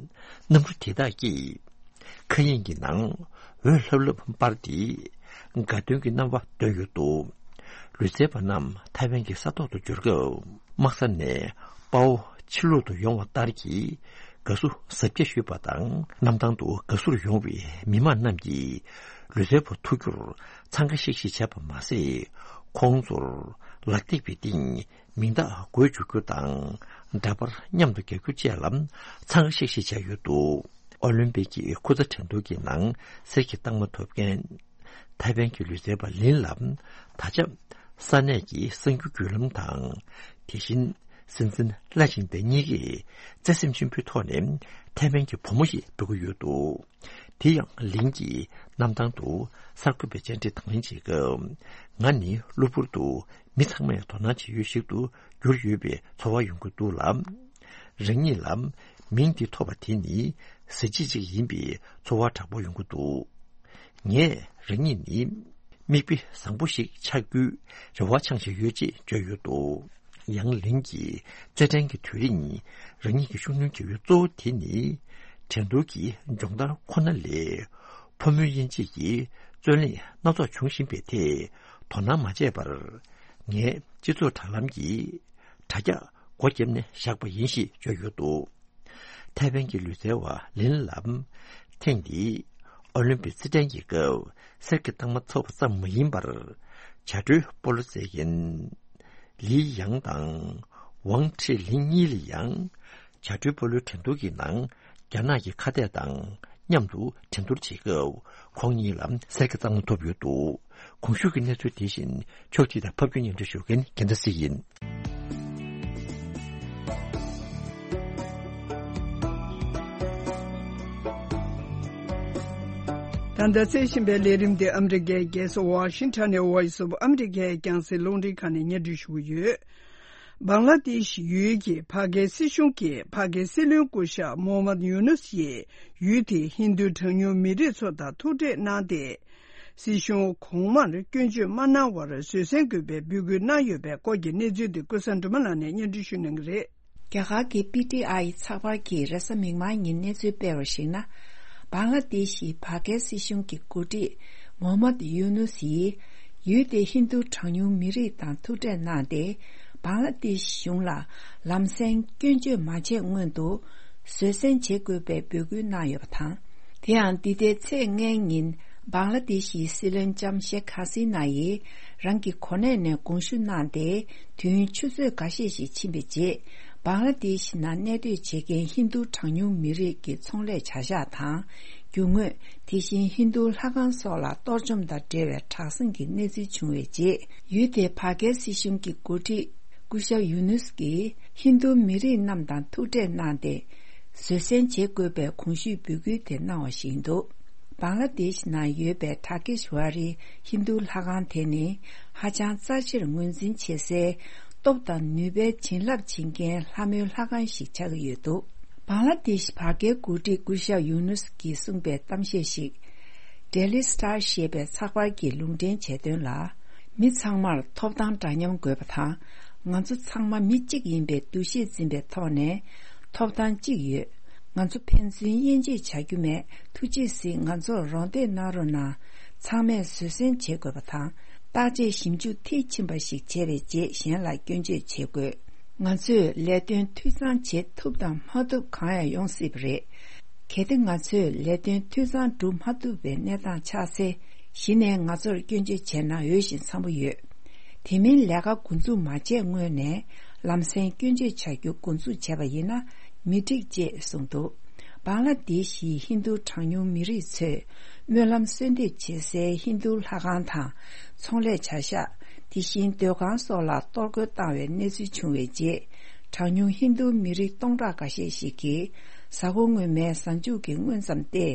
གནམ་གྲུ་དེ་དག་གིས་མཁའ་དབྱིངས་ཀྱི་ནང་འོད་ལྷབ་ལྷབ་སྤར་ཏེ་དགའ་སྟོན་གྱི་རྣམ་པ་སྟོན་ཡོད་འདུག་ལུས་རྩལ་བ་རྣམས་ཐའེ་ཝན་གྱི་ས་ཐོག་ཏུ་འབྱོར་སྐབས། དམག་ས་ནས་དཔའ་བོ་ཕྱིར་ལོག་ཏུ་ཡོང་བ་ལྟར་གྱི་དགའ་བསུ་གཟབ་རྒྱས་ཞུས་པ་དང་། གནམ་ཐང་དུ་དགའ་བསུར་ཡོང་བའི་མི་མང་རྣམས་ཀྱིས་ལུས་རྩལ་བ་ཐུག་རྒྱུར་འཚང་ཁ་ཤིག་ཤིག་བྱས་པ་མ་ཟད། ཁོང་ཚོར་ལག་སྟེགས་པའི་སྟེང་མིང་རྟགས་འགོད་བཅུག་རྒྱུ་དང་། འདྲ་པར་མཉམ་དུ་རྒྱག་རྒྱུ་བཅས་ལ་འཚང་ཁ་ཤིག་ཤིག་བྱས་ཡོད་འདུག་ཨོ་ལིམ་པིག་གི་ཁུ་ཚ་འགྲན་བསྡུར་གྱི་ནང་གསེར་གྱི་རྟགས་མ་ཐོབ་མཁན། ཐའེ་ཝན་གྱི་ལུས་རྩལ་བ་ལིན་ལ་ད་ཆ་ས་གནས་ཀྱི་གསར་འགྱུར་བརྒྱུད་ལམ་དང་། དེ་བཞིན་སྲིད་འཛིན་ལའེ་ཆིང་ཏེ་གཉིས་ཀས་བརྩེ་སེམས་ཆེན་པོའི་ཐོག་ནས་ཐའེ་ཝན་གྱི་བུ་མོ་ཞེས་འབོད་ཀྱི་ཡོད་འདུག་དེ་ཡང་ལིན་གྱིས་གནམ་ཐང་དུ་གསར་འགོད་པའི་བཅར་འདྲི་དང་ལེན་བྱེད་སྐབས། ང་ནི་གློ་བུར་དུ་མི་ཚང་མས་དོ་སྣང་བྱེད་ཡུལ་ཞིག་ཏུ་གྱུར་ཡོད་པའི་ཚོར་བ་ཡོང་གི་འདུག་ལ། རང་ཉིད་ལ་མིང་འདི་ཐོབ་པ་དེ་ནི་གཟི་བརྗིད་ཅིག་ཡིན་པའི་ཚོར་བ་དྲག་པོ་ཡོང་གི་འདུག་ངས་རང་ཉིད་ནི་མིག་དཔེ་བཟང་པོ་ཞིག་ཆགས་རྒྱུའི་རེ་བ་འཆང་བཞིན་ཡོད་ཅེས་བརྗོད་ཡོད་འདུག། ཡང་ལིན་གྱིས་རྩེད་འགྲན་གྱི་དུས་རིང་རང་ཉིད་ཀྱི་ཤུགས་སྣོན་བྱ་ཡུལ་གཙོ་བོ་དེ་ནི་འགྲན་བསྡུར་གྱི་སྦྱོང་བརྡར་ཁོ་ན་ལས། ཕོ་མོའི་དབྱེ་འབྱེད་ཀྱི་རྩོད་གླེང་སྣ་ཚོགས་འབྱུང་བཞིན་པའི་ཐད་དོ་སྣང་མ་བྱས་པར། ངས་སྤྱི་ཚོགས་དྲ་ལམ་གྱི་དྲ་རྒྱ་སྒོ་བརྒྱབ་ནས་བཞག་པ་ཡིན་ཞེས་བརྗོད་ཡོད་འདུག། ཐའེ་ཝན་གྱི་ལུས་རྩལ་བ་ལིན་ལམ་ཐེངས་འདིའི་ཨོ་ལིམ་པིག་རྩེད་འགྲན་གྱི་སྐབས་གསེར་གྱི་རྟགས་མ་ཐོབ་པ་ཙམ་མ་ཡིན་པར། བྱ་སྒྲོའི་སྤོ་ལོ་རྩེད་མཁན་ལི་ཡང་དང་ཝང་ཁྲི་ལིན་གཉིས་ལ་ཡང་། བྱ་སྒྲོའི་སྤོ་ལོའི་འགྲན་བསྡུར་གྱི་ནང་རྒྱ་ནག་གི་ཁ་གཏད་དང་མཉམ་དུ་འགྲན་བསྡུར་བྱེད་སྐབས་ཁོང་གཉིས་ལ་གསེར་གྱི་རྟགས་མ་ཐོབ་ཡོད་འདུག། གོང་ཞུས་ཀྱི་གནས་ཚུལ་དེ་བཞིན་ཕྱོགས་སྒྲིག་དང་ཕབ་སྒྱུར་སྙན་སྒྲོན་ཞུ་མཁན་རྒྱལ་མཚན་སྲིད་ཡིན། ད་ལྟ་གསན་བཞིན་པའི་ལས་རིམ་དེ་ཨ་མི་རི་ཀའི་རྒྱལ་ས་ཝ་ཤིང་ཊོན་ནས་Voice of America་རྒྱང་སྲིང་རླུང་འཕྲིན་ཁང་ནས་སྙན་སྒྲོན་ཞུ་གི་ཡོད། བང་ལ་དེཤ་ཡུལ་གྱི་བར་བརྒལ་སྲིད་གཞུང་གིས་བར་བརྒལ་སྲིད་བློན་སྐུ་ཞབས་མོ་ཧམ་མད་ཡུ་ནུས་ཡིས་ཡུལ་དེའི་ཧིན་རྡུ་གྲངས་ཉུང་མི་རིགས་ཚོ་དང་ཐུག་འཕྲད་གནང་སྟེ། སྲིད་གཞུང་གོང་མར་སྐྱོན་བརྗོད་མ་གནང་བར་བཟོད་བསྲན་དགོས་པའི་འབོད་སྐུལ་གནང་ཡོད་པའི་སྐོར་གྱི་གནས་ཚུལ་དེ་ཀུན་བཟང་སྒྲོལ་མ་ལགས་ནས་སྙན་སྒྲོན་ཞུ་གནང་གི་རེད། རྒྱ་གར་གྱི་པི་ཊི་ཨའི་ཚགས་པར་གྱིས་རེས་གཟའ་མིག་དམར་ཉིན་གནས་ཚུལ་སྤེལ་བར་གཞིགས་ན། བང་ལ་དེཤ་ཡི་བར་བརྒལ་སྲིད་གཞུང་གི་འགོ་ཁྲིད་མོ་ཧམ་མད་ཡུ་ནུས་ཡིས་ཡུལ་དེའི་ཧིན་རྡུ་གྲངས་ཉུང་མི་རིགས་དང་ཐུག་འཕྲད་གནང་སྟེ། བང་ལ་དེཤ་གཞུང་ལ་ལམ་སེང་སྐྱོན་བརྗོད་མ་བྱས་སྔོན་དུ་བཟོད་བསྲན་བྱེད་དགོས་པའི་འབོད་སྐུལ་གནང་ཡོད་པ་དང་། དེ་ཡང་འདི་ཟླའི་ཚེས་ལྔའི་ཉིན་བང་ལ་དེཤ་ཡི་སྲིད་བློན་ལྕམ་ཤེག་ཧ་སི་ན་ཡིས་རང་གི་གོ་གནས་ནས་དགོངས་ཞུ་གནང་སྟེ། དུས་ཡུན་ཆུ་ཚོད་འགའ་ཤས་ཤིག་ཕྱིན་པའི་རྗེས། བང་ལ་དེཤ་ནང་གནས་སྡོད་བྱེད་མཁན་ཧིན་རྡུ་གྲངས་ཉུང་མི་རིགས་ཀྱི་ཚོང་ལས་བྱ་གཞག་དང་། རྒྱུ་དངོས། དེ་བཞིན་ཧིན་རྡུ་ལྷ་ཁང་སོགས་ལ་གཏོར་བཅོམ་དང་འབྲེལ་བའི་དྲག་ཟིང་གི་གནས་ཚུལ་བྱུང་བའི་རྗེས། ཡུལ་དེའི་བར་བརྒལ་སྲིད་གཞུང་གི་འགོ་ཁྲིད་སྐུ་ཞབས་ཡུ་ནུས་ཀྱིས་ཧིན་རྡུ་མི་རིགས་རྣམས་དང་ཐུག་འཕྲད་གནང་སྟེ། བཟོད་བསྲན་བྱེད་དགོས་པའི་གོང་ཞུས་འབོད་སྐུལ་དེ་གནང་བ་ཞིག་འདུག། བང་ལ་དེཤ་ནང་ཡོད་པའི་ཐ་ཀེཤ་ཝ་རི་ཧིན་རྡུ་ལྷ་ཁང་དེ་ནི་ཧ་ཅང་རྩ་ཆེར་ངོས་འཛིན་བྱེད་སའི་སྟོབས་དང་ནུས་པའི་བྱིན་རླབས་བྱིན་མཁན་ལྷ་མོའི་ལྷ་ཁང་ཞིག་ཆགས་ཀྱི་ཡོད་འདུག། བང་ལ་དེཤ་བར་བརྒལ་འགོ་ཁྲིད་སྐུ་ཞབས་ཡུ་ནུས་ཀྱིས་གསུངས་པའི་གཏམ་བཤད་ཞིག་Daily Star་ཞེས་པའི་ཚགས་པར་གྱིས་ལུང་འདྲེན་བྱས་དོན་ལ། མི་ཚང་མར་ཐོབ་ཐང་འདྲ་མཉམ་དགོས་པ་དང་། ང་ཚོ་ཚང་མ་མི་གཅིག་ཡིན་པའི་འདུ་ཤེས་འཛིན་པའི་ཐོག་ནས་ཐོབ་ཐང་གཅིག་ཡོད། ང་ཚོ་ཕན་ཚུན་དབྱེ་འབྱེད་བྱ་རྒྱུ་མེད། ཐུགས་རྗེས་གཟིགས། ང་ཚོར་རོགས་འདེགས་གནང་རོགས་གནང་། ཚང་མས་བཟོད་བསྲན་བྱེད་དགོས་པ་དང་། བརྟག་དཔྱད་ཞིབ་འཇུག་མཐིལ་ཕྱིན་པ་ཞིག་བྱས་པའི་རྗེས་གཞན་ལ་སྐྱོན་བརྗོད་བྱེད་དགོས། ང་ཚོས་ལས་དོན་འཐུས་ཚང་བྱེད་ཐུབ་དང་མ་ཐུབ་གང་ཡང་ཡོང་སྲིད་པ་རེད། གལ་ཏེ་ང་ཚོས་ལས་དོན་འཐུས་ཚང་སྒྲུབ་མ་ཐུབ་པའི་གནས་སྟངས་ཆགས་ཚེ། གཞི་ནས་ང་ཚོར་སྐྱོན་བརྗོད་བྱས་ན་འོས་ཤིང་འཚམ་པོ་ཡོད། དེ་མིན་ལས་ཀ་འགོ་འཛུགས་མ་བྱས་སྔོན་ནས་ལམ་སེང་སྐྱོན་བརྗོད་བྱ་རྒྱུ་འགོ་འཛུགས་བྱས་པ་ཡིན་ན་མི་འགྲིག་ཅེས་གསུངས་འདུག། བང་ལ་དེཤ་ཡི་ཧིན་རྡུ་གྲངས་ཉུང་མི་རིགས་ཚོས་སྨོན་ལམ་གསོལ་འདེབས་བྱེད་སའི་ཧིན་རྡུ་ལྷ་ཁང་དང་ཚོང་ལས་བྱ་གཞག། དེ་བཞིན་སྡོད་ཁང་སོགས་ལ་གཏོར་རྒོལ་བཏང་བའི་གནས་ཚུལ་བྱུང་བའི་རྗེས། གྲངས་ཉུང་ཧིན་རྡུ་མི་རིགས་སྟོང་ཕྲག་འགའ་ཤས་ཤིག་གིས་གཟའ་འཁོར་སྔོན་མའི་གཟའ་མཇུག་གི་སྔོན་ཙམ་སྟེ།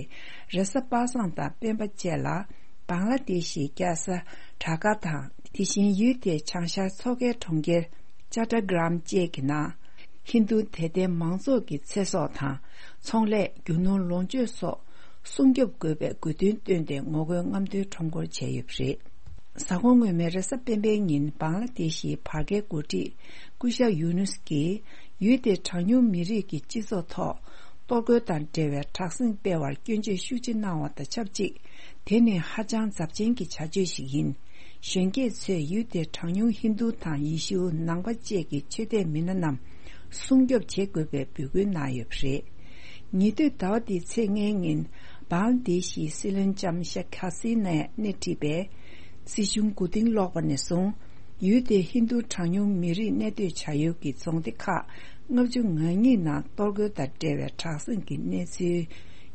རེས་གཟའ་པ་སངས་དང་སྤེན་པ་བཅས་ལ་བང་ལ་དེཤ་ཡི་རྒྱལ་ས་ཌ་ཀ་དང་། དེ་བཞིན་ཡུལ་དེའི་བྱང་ཤར་མཚོ་ཁའི་གྲོང་ཁྱེར་ཅ་ཊ་གྲམ་བཅས་ཀྱི་ནང་། ཧིན་རྡུ་དད་ལྡན་མང་ཚོགས་ཀྱི་ཚེ་སྲོག་དང་ཚོང་ལས། རྒྱུ་ནོར་ལོངས་སྤྱོད་སོགས་སྲུང་སྐྱོབ་དགོས་པའི་དགོས་འདུན་བཏོན་ཏེ་ངོ་རྒོལ་རྔམ་སྟོན་ཁྲོམ་སྐོར་བྱས་ཡོད་པ་རེད། གཟའ་འཁོར་སྔོན་མའི་རེས་གཟའ་སྤེན་པའི་ཉིན་བང་ལ་དེཤ་ཡི་བར་བརྒལ་འགོ་ཁྲིད་སྐུ་ཞབས་ཡུ་ནུས་ཀྱིས་ཡུལ་དེའི་གྲངས་ཉུང་མི་རིགས་ཀྱི་སྤྱི་ཚོགས་ཐོག་གཏོར་རྒོལ་དང་འབྲེལ་བའི་དྲག་ཟིང་སྤེལ་བར་སྐྱོན་བརྗོད་ཤུགས་ཆེ་གནང་བ་དང་ཆབས་ཅིག། དེ་ནི་ཧ་ཅང་ཚབས་ཆེན་གྱི་བྱ་སྤྱོད་ཞིག་ཡིན། གཞོན་སྐྱེས་ཚོས་ཡུལ་དེའི་གྲངས་ཉུང་ཧིན་རྡུ་དང་ཡེ་ཤུ་ནང་པ་བཅས་ཀྱི་ཆོས་དད་མི་སྣ་རྣམས་སྲུང་སྐྱོབ་བྱེད་དགོས་པའི་འབོད་སྐུལ་གནང་ཡོད་པ་རེད། ཉེ་དུས་ཟླ་བ་འདིའི་ཚེས་ལྔའི་ཉིན་བང་ལ་དེཤ་ཡི་སྲིད་བློན་ལྕམ་ཤེག་ཧ་སི་ནས་སྣེ་ཁྲིད་པའི་སྲིད་གཞུང་མགོ་རྟིང་སློག་པ་ནས་བཟུང་། ཡུལ་དེའི་ཧིན་རྡུ་གྲངས་ཉུང་མི་རིགས་གནས་སྡོད་བྱ་ཡུལ་གྱི་རྫོང་སྡེ་ཁག་ལྔ་བཅུ་ང་གཉིས་ནང་གཏོར་རྒོལ་དང་འབྲེལ་བའི་དྲག་ཟིང་གི་གནས་ཚུལ་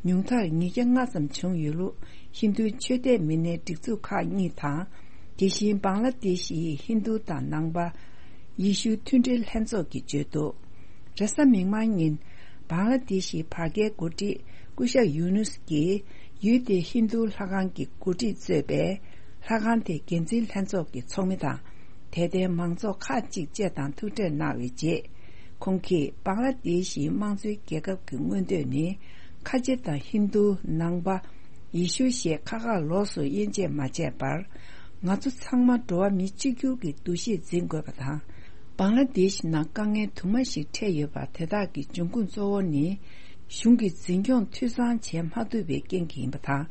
ཉུང་མཐར་ཉིས་བརྒྱ་ལྔ་ཙམ་བྱུང་ཡོད་ལུགས་ཧིན་རྡུ་ཆོས་དད་མི་སྣའི་སྒྲིག་འཛུགས་ཁག་གཉིས་དང་། དེ་བཞིན་བང་ལ་དེཤ་ཡི་ཧིན་རྡུ་དང་ནང་པ་ཡེ་ཤུ་མཐུན་སྒྲིལ་ལྷན་ཚོགས་ཀྱིས་བརྗོད་འདུག། རེས་གཟའ་མིག་དམར་ཉིན་བང་ལ་དེཤ་ཡི་བར་བརྒལ་འགོ་ཁྲིད་སྐུ་ཞབས་ཡུ་ནུས་ཀྱིས་ཡུལ་དེའི་ཧིན་རྡུ་ལྷ་ཁང་གི་འགོ་ཁྲིད་གཙོས་པའི་ལྷ་ཁང་དེའི་འགན་འཛིན་ལྷན་ཚོགས་ཀྱི་ཚོགས་མི་དང་། དད་ལྡན་མང་ཚོགས་ཁག་ཅིག་བཅས་དང་ཐུག་འཕྲད་གནང་བའི་རྗེས། ཁོང་གིས་བང་ལ་དེཤ་ཡི་དམངས་གཙོའི་རྒྱལ་ཁབ་ཀྱི་མངོན་འདོད་ནི་ཁ་ཆེ་དང་ཧིན་རྡུ་ནང་པ། ཡེ་ཤུ་ཞེས་ཁ་ཁ་ལོགས་སུ་དབྱེ་འབྱེད་མ་བྱས་པར། ང་ཚོ་ཚང་མ་འགྲོ་བ་མི་གཅིག་གྱུར་གྱི་འདུ་ཤེས་འཛིན་དགོས་པ་དང་། བང་ལ་དེཤ་ནང་དཀའ་ངལ་དུ་མ་ཞིག་འཕྲད་ཡོད་པ་དེ་དག་གི་འབྱུང་ཁུངས་གཙོ་བོ་ནི། གཞུང་གིས་འཛིན་སྐྱོང་འཐུས་ཚང་བྱེད་མ་ཐུབ་པའི་རྐྱེན་གྱིས་ཡིན་པ་དང་།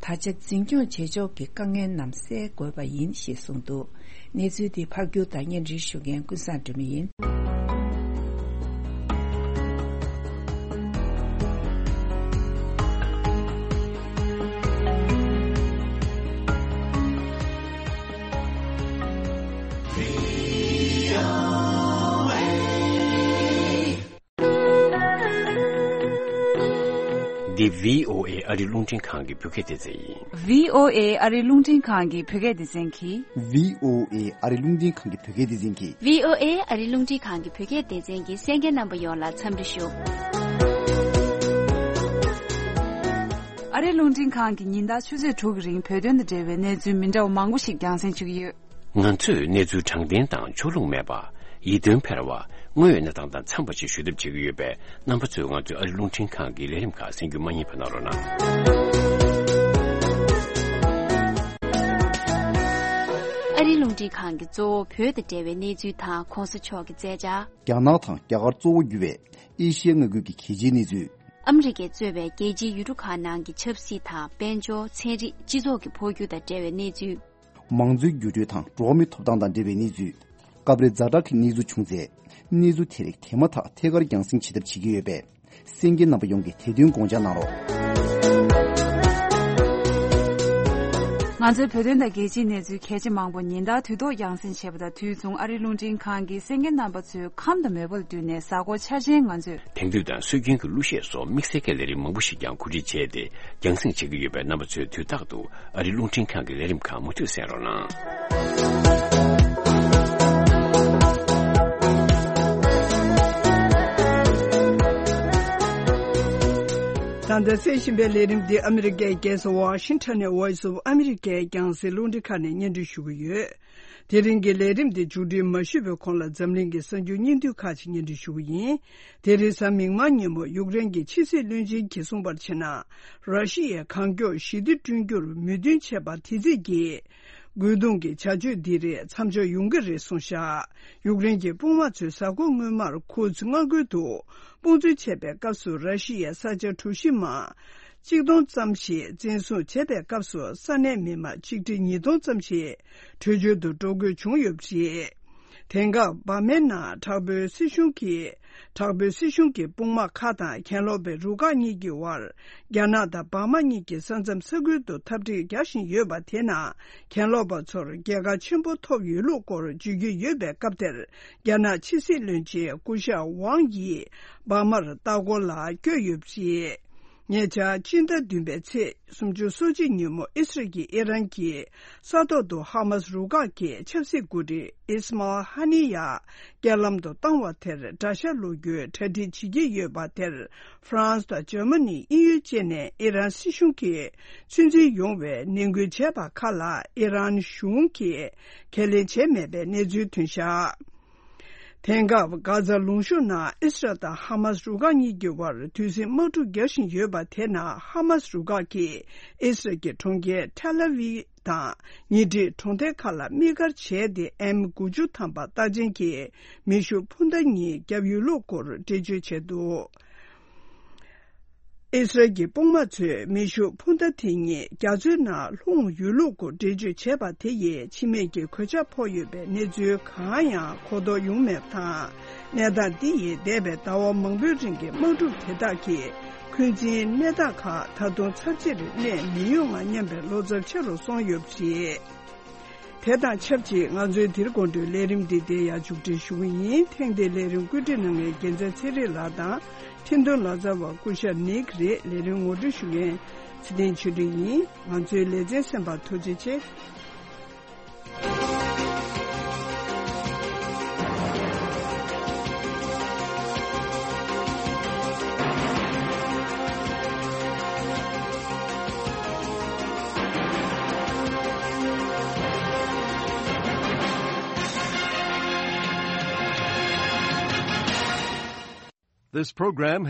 ད་ཆ་འཛིན་སྐྱོང་བྱེད་ཕྱོགས་ཀྱི་དཀའ་ངལ་རྣམས་སེལ་དགོས་པ་ཡིན་ཞེས་གསུངས་འདུག་གནས་ཚུལ་དེ་ཕབ་སྒྱུར་དང་སྙན་སྒྲོན་ཞུ་མཁན་ཀུན་བཟང་སྒྲོལ་མ་ཡིན། འདི་བྷི་ཨོ་ཨེ་ཨ་རི་རླུང་འཕྲིན་ཁང་གི་བོད་སྐད་སྡེ་ཚན་ཡིན། བྷི་ཨོ་ཨེ་ཨ་རི་རླུང་འཕྲིན་ཁང་གི་བོད་སྐད་སྡེ་ཚན་གྱིས། བྷི་ཨོ་ཨེ་ཨ་རི་རླུང་འཕྲིན་ཁང་གི་བོད་སྐད་སྡེ་ཚན་གྱིས། བྷི་ཨོ་ཨེ་ཨ་རི་རླུང་འཕྲིན་ཁང་གི་བོད་སྐད་སྡེ་ཚན་གྱི་གསན་མཁན་རྣམ་པ་ཡོངས་ལ་འཚམས་འདྲི་ཞུ། ཨ་རི་རླུང་འཕྲིན་ཁང་གིས་ཉིན་ལྟར་ཆུ་ཚོད་དྲུག་གི་རིང་བོད་དོན་དང་འབྲེལ་བའི་གནས་ཚུལ་མི་འདྲ་བ་མང་པོ་ཞིག་རྒྱང་སྲིང་བྱེད་ཀྱི་ཡོད། ང་ཚོས་གནས་ཚུལ་དྲང་བདེན་དང་ཕྱོགས་ལྷུང་མེད་པ། ཡིད་རྟོན་འཕེར་བ། དངོས་ཡོད་གནས་སྟངས་དང་འཚམས་པ་ཞིག་ཞུ་ཐབས་བྱེད་ཀྱི་ཡོད་པས། རྣམ་པ་ཚོས་ང་ཚོའི་ཨ་རི་རླུང་འཕྲིན་ཁང་གི་ལས་རིམ་ཁག་གསན་རྒྱུ་མ་བསྙེལ་བ་གནང་རོགས་གནང་། ཨ་རི་རླུང་འཕྲིན་ཁང་གིས་གཙོ་བོ་བོད་དང་འབྲེལ་བའི་གནས་ཚུལ་དང་གོང་ས་མཆོག་གི་མཛད་འཆར། རྒྱ་ནག་དང་རྒྱ་གར་གཙོ་བོ་གྱུར་བའི་ཨེ་ཤི་ཡའི་མངའ་ཁུལ་གྱི་གལ་ཆེའི་གནས་ཚུལ། ཨ་མི་རི་ཀས་གཙོས་པའི་རྒྱལ་སྤྱིའི་ཡུལ་གྲུ་ཁག་ནང་གི་ཆབ་སྲིད་དང་། དཔལ་འབྱོར། ཚན་རིག་སྤྱི་ཚོགས་ཀྱི་འཕོ་འགྱུར་དང་འབྲེལ་བའི་གནས་ཚུལ། མང་གཙོའི་འགྱུར་འགྲོས་དང་འགྲོ་བ་མིའི་ཐོབ་ཐང་དང་འབྲེལ་བའི་གནས་ཚུལ། སྐབས་རེ་ཛ་དྲག་གི་གནས་ཚུལ་བྱུང་ཚེ། གནས་ཚུལ་དེ་རིགས་དེ་མ་ཐག་ཐད་ཀར་རྒྱང་སྲིང་བྱེད་ཐབས་བྱེད་ཀྱི་ཡོད་པས། གསན་མཁན་རྣམ་པ་ཡོངས་ཀྱིས་དེ་དོན་དགོངས་འཇགས་གནང་རོགས། ང་ཚོའི་བོད་དོན་དང་རྒྱལ་སྤྱིའི་གནས་ཚུལ་གལ་ཆེ་མང་པོ་ཉིན་ལྟར་དུས་ཐོག་རྒྱང་སྲིང་བྱེད་པ་དང་། དུས་མཚུངས་ཨ་རིའི་རླུང་འཕྲིན་ཁང་གིས་གསན་མཁན་རྣམ་པ་ཚོའི་ཁམས་དང་མོས་པ་ལ་བསྟུན་ནས་གཟའ་འཁོར་འཆར་ཅན་ང་ཚོས། དེང་དུས་དང་སྲོལ་རྒྱུན་གྱི་གླུ་གཞས་སོགས་དམིགས་བསལ་གྱི་ལས་རིམ་མང་པོ་ཞིག་ཀྱང་གོ་སྒྲིག་བྱས་ཏེ། རྒྱང་སྲིང་བྱེད་ཀྱི་ཡོད་པས། རྣམ་པ་ཚོས་དུས་རྟག་ཏུ་ཨ་རིའི་རླུང་འཕྲིན་ཁང་གི་ལས་རིམ་ཁག་མུ་མཐུད་གསན་རོགས་གནང་། ད་ལྟ་གསན་བཞིན་པའི་ལས་རིམ་འདི་ཨ་མི་རི་ཀའི་རྒྱལ་ས་ཝ་ཤིང་ཊོན་ནས་Voice of America རྒྱང་སྲིང་རླུང་འཕྲིན་ཁང་ནས་སྙན་སྒྲོན་ཞུ་གི་ཡོད། དེ་རིང་གི་ལས་རིམ་འདི་མཇུག་སྒྲིལ་མ་ཞུས་པའི་གོང་ལ་འཛམ་གླིང་གི་གསར་འགྱུར་སྙིང་བསྡུས་ཁག་ཅིག་སྙན་སྒྲོན་ཞུ་གི་ཡིན། དེ་རིང་གཟའ་མིག་དམར་ཉིན་མོ་ཡུཀ་རེན་གྱི་ཕྱི་སྲིད་བློན་ཆེན་གྱིས་གསུངས་པར་བྱས་ན། ར་ཤི་ཡའི་གང་མགྱོགས་ཞི་བདེ་བསྐྲུན་རྒྱུར་མོས་མཐུན་བྱས་པ་དེ་རྩིས་ཀྱིས། རྒོལ་རྡུང་གི་བྱ་སྤྱོད་འདི་རིགས་མཚམས་འཇོག་ཡོང་གི་རེད་གསུངས་བཞག་ཡུཀ་རེན་གྱི་དཔུང་དམག་ཚོས་གཟའ་འཁོར་སྔོན་མར་ཁུ་ཛ་མངའ་ཁུལ་དུ་དཔུང་འཛུལ་བྱས་པའི་སྐབས་སུ། ར་ཤི་ཡའི་ས་ཆ་གྲུ་བཞི་མ་གཅིག་སྟོང་ཙམ་ཞིག་འཛིན་བཟུང་བྱས་པའི་སྐབས་སུ། ས་གནས་མི་མང་ཆིག་ཁྲི་ཉིས་སྟོང་ཙམ་ཞིག་བྲོས་བྱོལ་དུ་འགྲོ་དགོས་བྱུང་ཡོད་པ་རེད། དེང་སྐབས་འབར་མའི་ནང་དྲག་པོའི་སྲིད་གཞུང་གིས། དྲག་པོའི་སྲིད་གཞུང་གི་དཔུང་དམག་ཁག་དང་། གྱེན་ལོག་པའི་རུ་ཁག་གཉིས་ཀྱི་དབར། རྒྱ་ནག་དང་འབར་མ་གཉིས་ཀྱི་ས་མཚམས་ས་ཁུལ་དུ་འཐབ་འཁྲུག་རྒྱག་བཞིན་ཡོད་པ་དེ་ནང་། གྱེན་ལོག་པ་ཚོར་རྒྱལ་ཁ་ཆེན་པོ་ཐོབ་ཡོད་ལུགས་སྐོར་བརྗོད་ཀྱི་ཡོད་པའི་སྐབས་དེར། རྒྱ་ནག་ཕྱི་སྲིད་བློན་ཆེན་སྐུ་ཞབས་ཝང་ཡིས་འབར་མར་ལྟ་སྐོར་ལ་བསྐྱོད་ཡོད་པ་རེད། ཉེ་ཆར་སྤྱི་ཟླ་བདུན་པའི་ཚེས་སུམ་ཅུ་སོ་གཅིག་ཉིན་མོ། ཨི་སི་རལ་གྱིས་ཨི་རན་གྱི་ས་ཐོག་ཏུ་ཧ་མ་སི་རུ་ཁག་གི་ཆབ་སྲིད་འགོ་ཁྲིད་ཨིས་མཱལ་ཧ་ནི་ཡ་རྐྱེན་ལམ་དུ་བཏང་བ་དེར་དགྲ་ཤ་ལོག་རྒྱུའི་གྲ་སྒྲིག་བྱེད་ཀྱི་ཡོད་པ་དེར། ཧྥ་རན་སི་དང་འཇར་མ་ནི་དབྱིན་ཡུལ་བཅས་ནས་ཨི་རན་སྲིད་གཞུང་གིས་ཚོད་འཛིན་ཡོང་བའི་ནན་སྐུལ་བྱས་པ་ཁག་ལ་ཨི་རན་གཞུང་གིས་ཁས་ལེན་བྱས་མེད་པའི་གནས་ཚུལ་ཐོན་བཞག་དེང་སྐབས་གྷ་ཛ་ལུང་གཤོང་ནང་ཨི་སི་རལ་དང་ཧ་མ་སི་རུ་ཁག་གཉིས་ཀྱི་དབར་དུས་ཟིང་དམག་འཁྲུག་རྒྱག་བཞིན་ཡོད་པ་དེ་ནང་། ཧ་མ་སི་རུ་ཁག་གིས་ཨི་སི་རལ་གྱི་གྲོང་ཁྱེར་ཐེལ་ཨ་ཝི་དང་ཉེ་འཁྲིས་གྲོང་རྡལ་ཁག་ལ་དམིགས་བཀར་བྱས་ཏེ། ཨེམ་དགུ་བཅུ་ཐམ་པ་རྟགས་ཅན་གྱི་མེ་ཤུགས་འཕུར་མདའ་གཉིས་བརྒྱབ་ཡོད་ལུགས་སྐོར་འགྲེལ་བརྗོད་བྱས་འདུག་ཨི་སི་རལ་གྱི་དཔུང་དམག་ཚོས་མེ་ཤུགས་འཕུར་མདའ་དེ་གཉིས་རྒྱ་མཚོའི་ནང་ལྷུང་ཡོད་ལུགས་སྐོར་འགྲེལ་བརྗོད་བྱས་པ་དེ་ཡིས་འཆི་རྨས་ཀྱི་གོད་ཆག་ཕོག་ཡོད་པའི་གནས་ཚུལ་གང་ཡང་གོ་རྟོགས་ཡོང་མེད་པ་དང་། གནས་སྟངས་འདི་ཡིས་འདས་པའི་ཟླ་བ་མང་པོའི་རིང་གི་དམག་འཁྲུག་དེ་དག་གི་འཁོན་འཛིན་གནས་སྟངས་ཁག་ད་དུང་ཚར་གཅིག་གནས་མི་ཡོང་ང་སྙམ་པའི་བློ་འཚབ་ཆེ་རུ་སོང་ཡོད་པ་རེད། དེ་དང་ཆབས་ཅིག་ང་ཚོའི་འདིར་དགོང་དྲོའི་ལས་རིམ་འདི་འདིར་ཡང་མཇུག་སྒྲིལ་ཞུ་གི་ཡིན། ཐེངས་འདིའི་ལས་རིམ་བཀོད་སྒྲིག་གནང་མཁན་རྒྱལ་མཚན་ཚེ་རིང་ལགས་དང་། འཕྲིན་གཏོང་ལག་རྩལ་བ་སྐུ་ཞབས་ནིག་རེད། ལས་རིམ་ངོ་སྤྲོད་ཞུ་མཁན་ཚེ་བརྟན་ཆོས་སྒྲོན་ཡིན། ང་ཚོའི་ལེ་ཚན་གསན་པར་ཐུགས་རྗེ་ཆེ། This program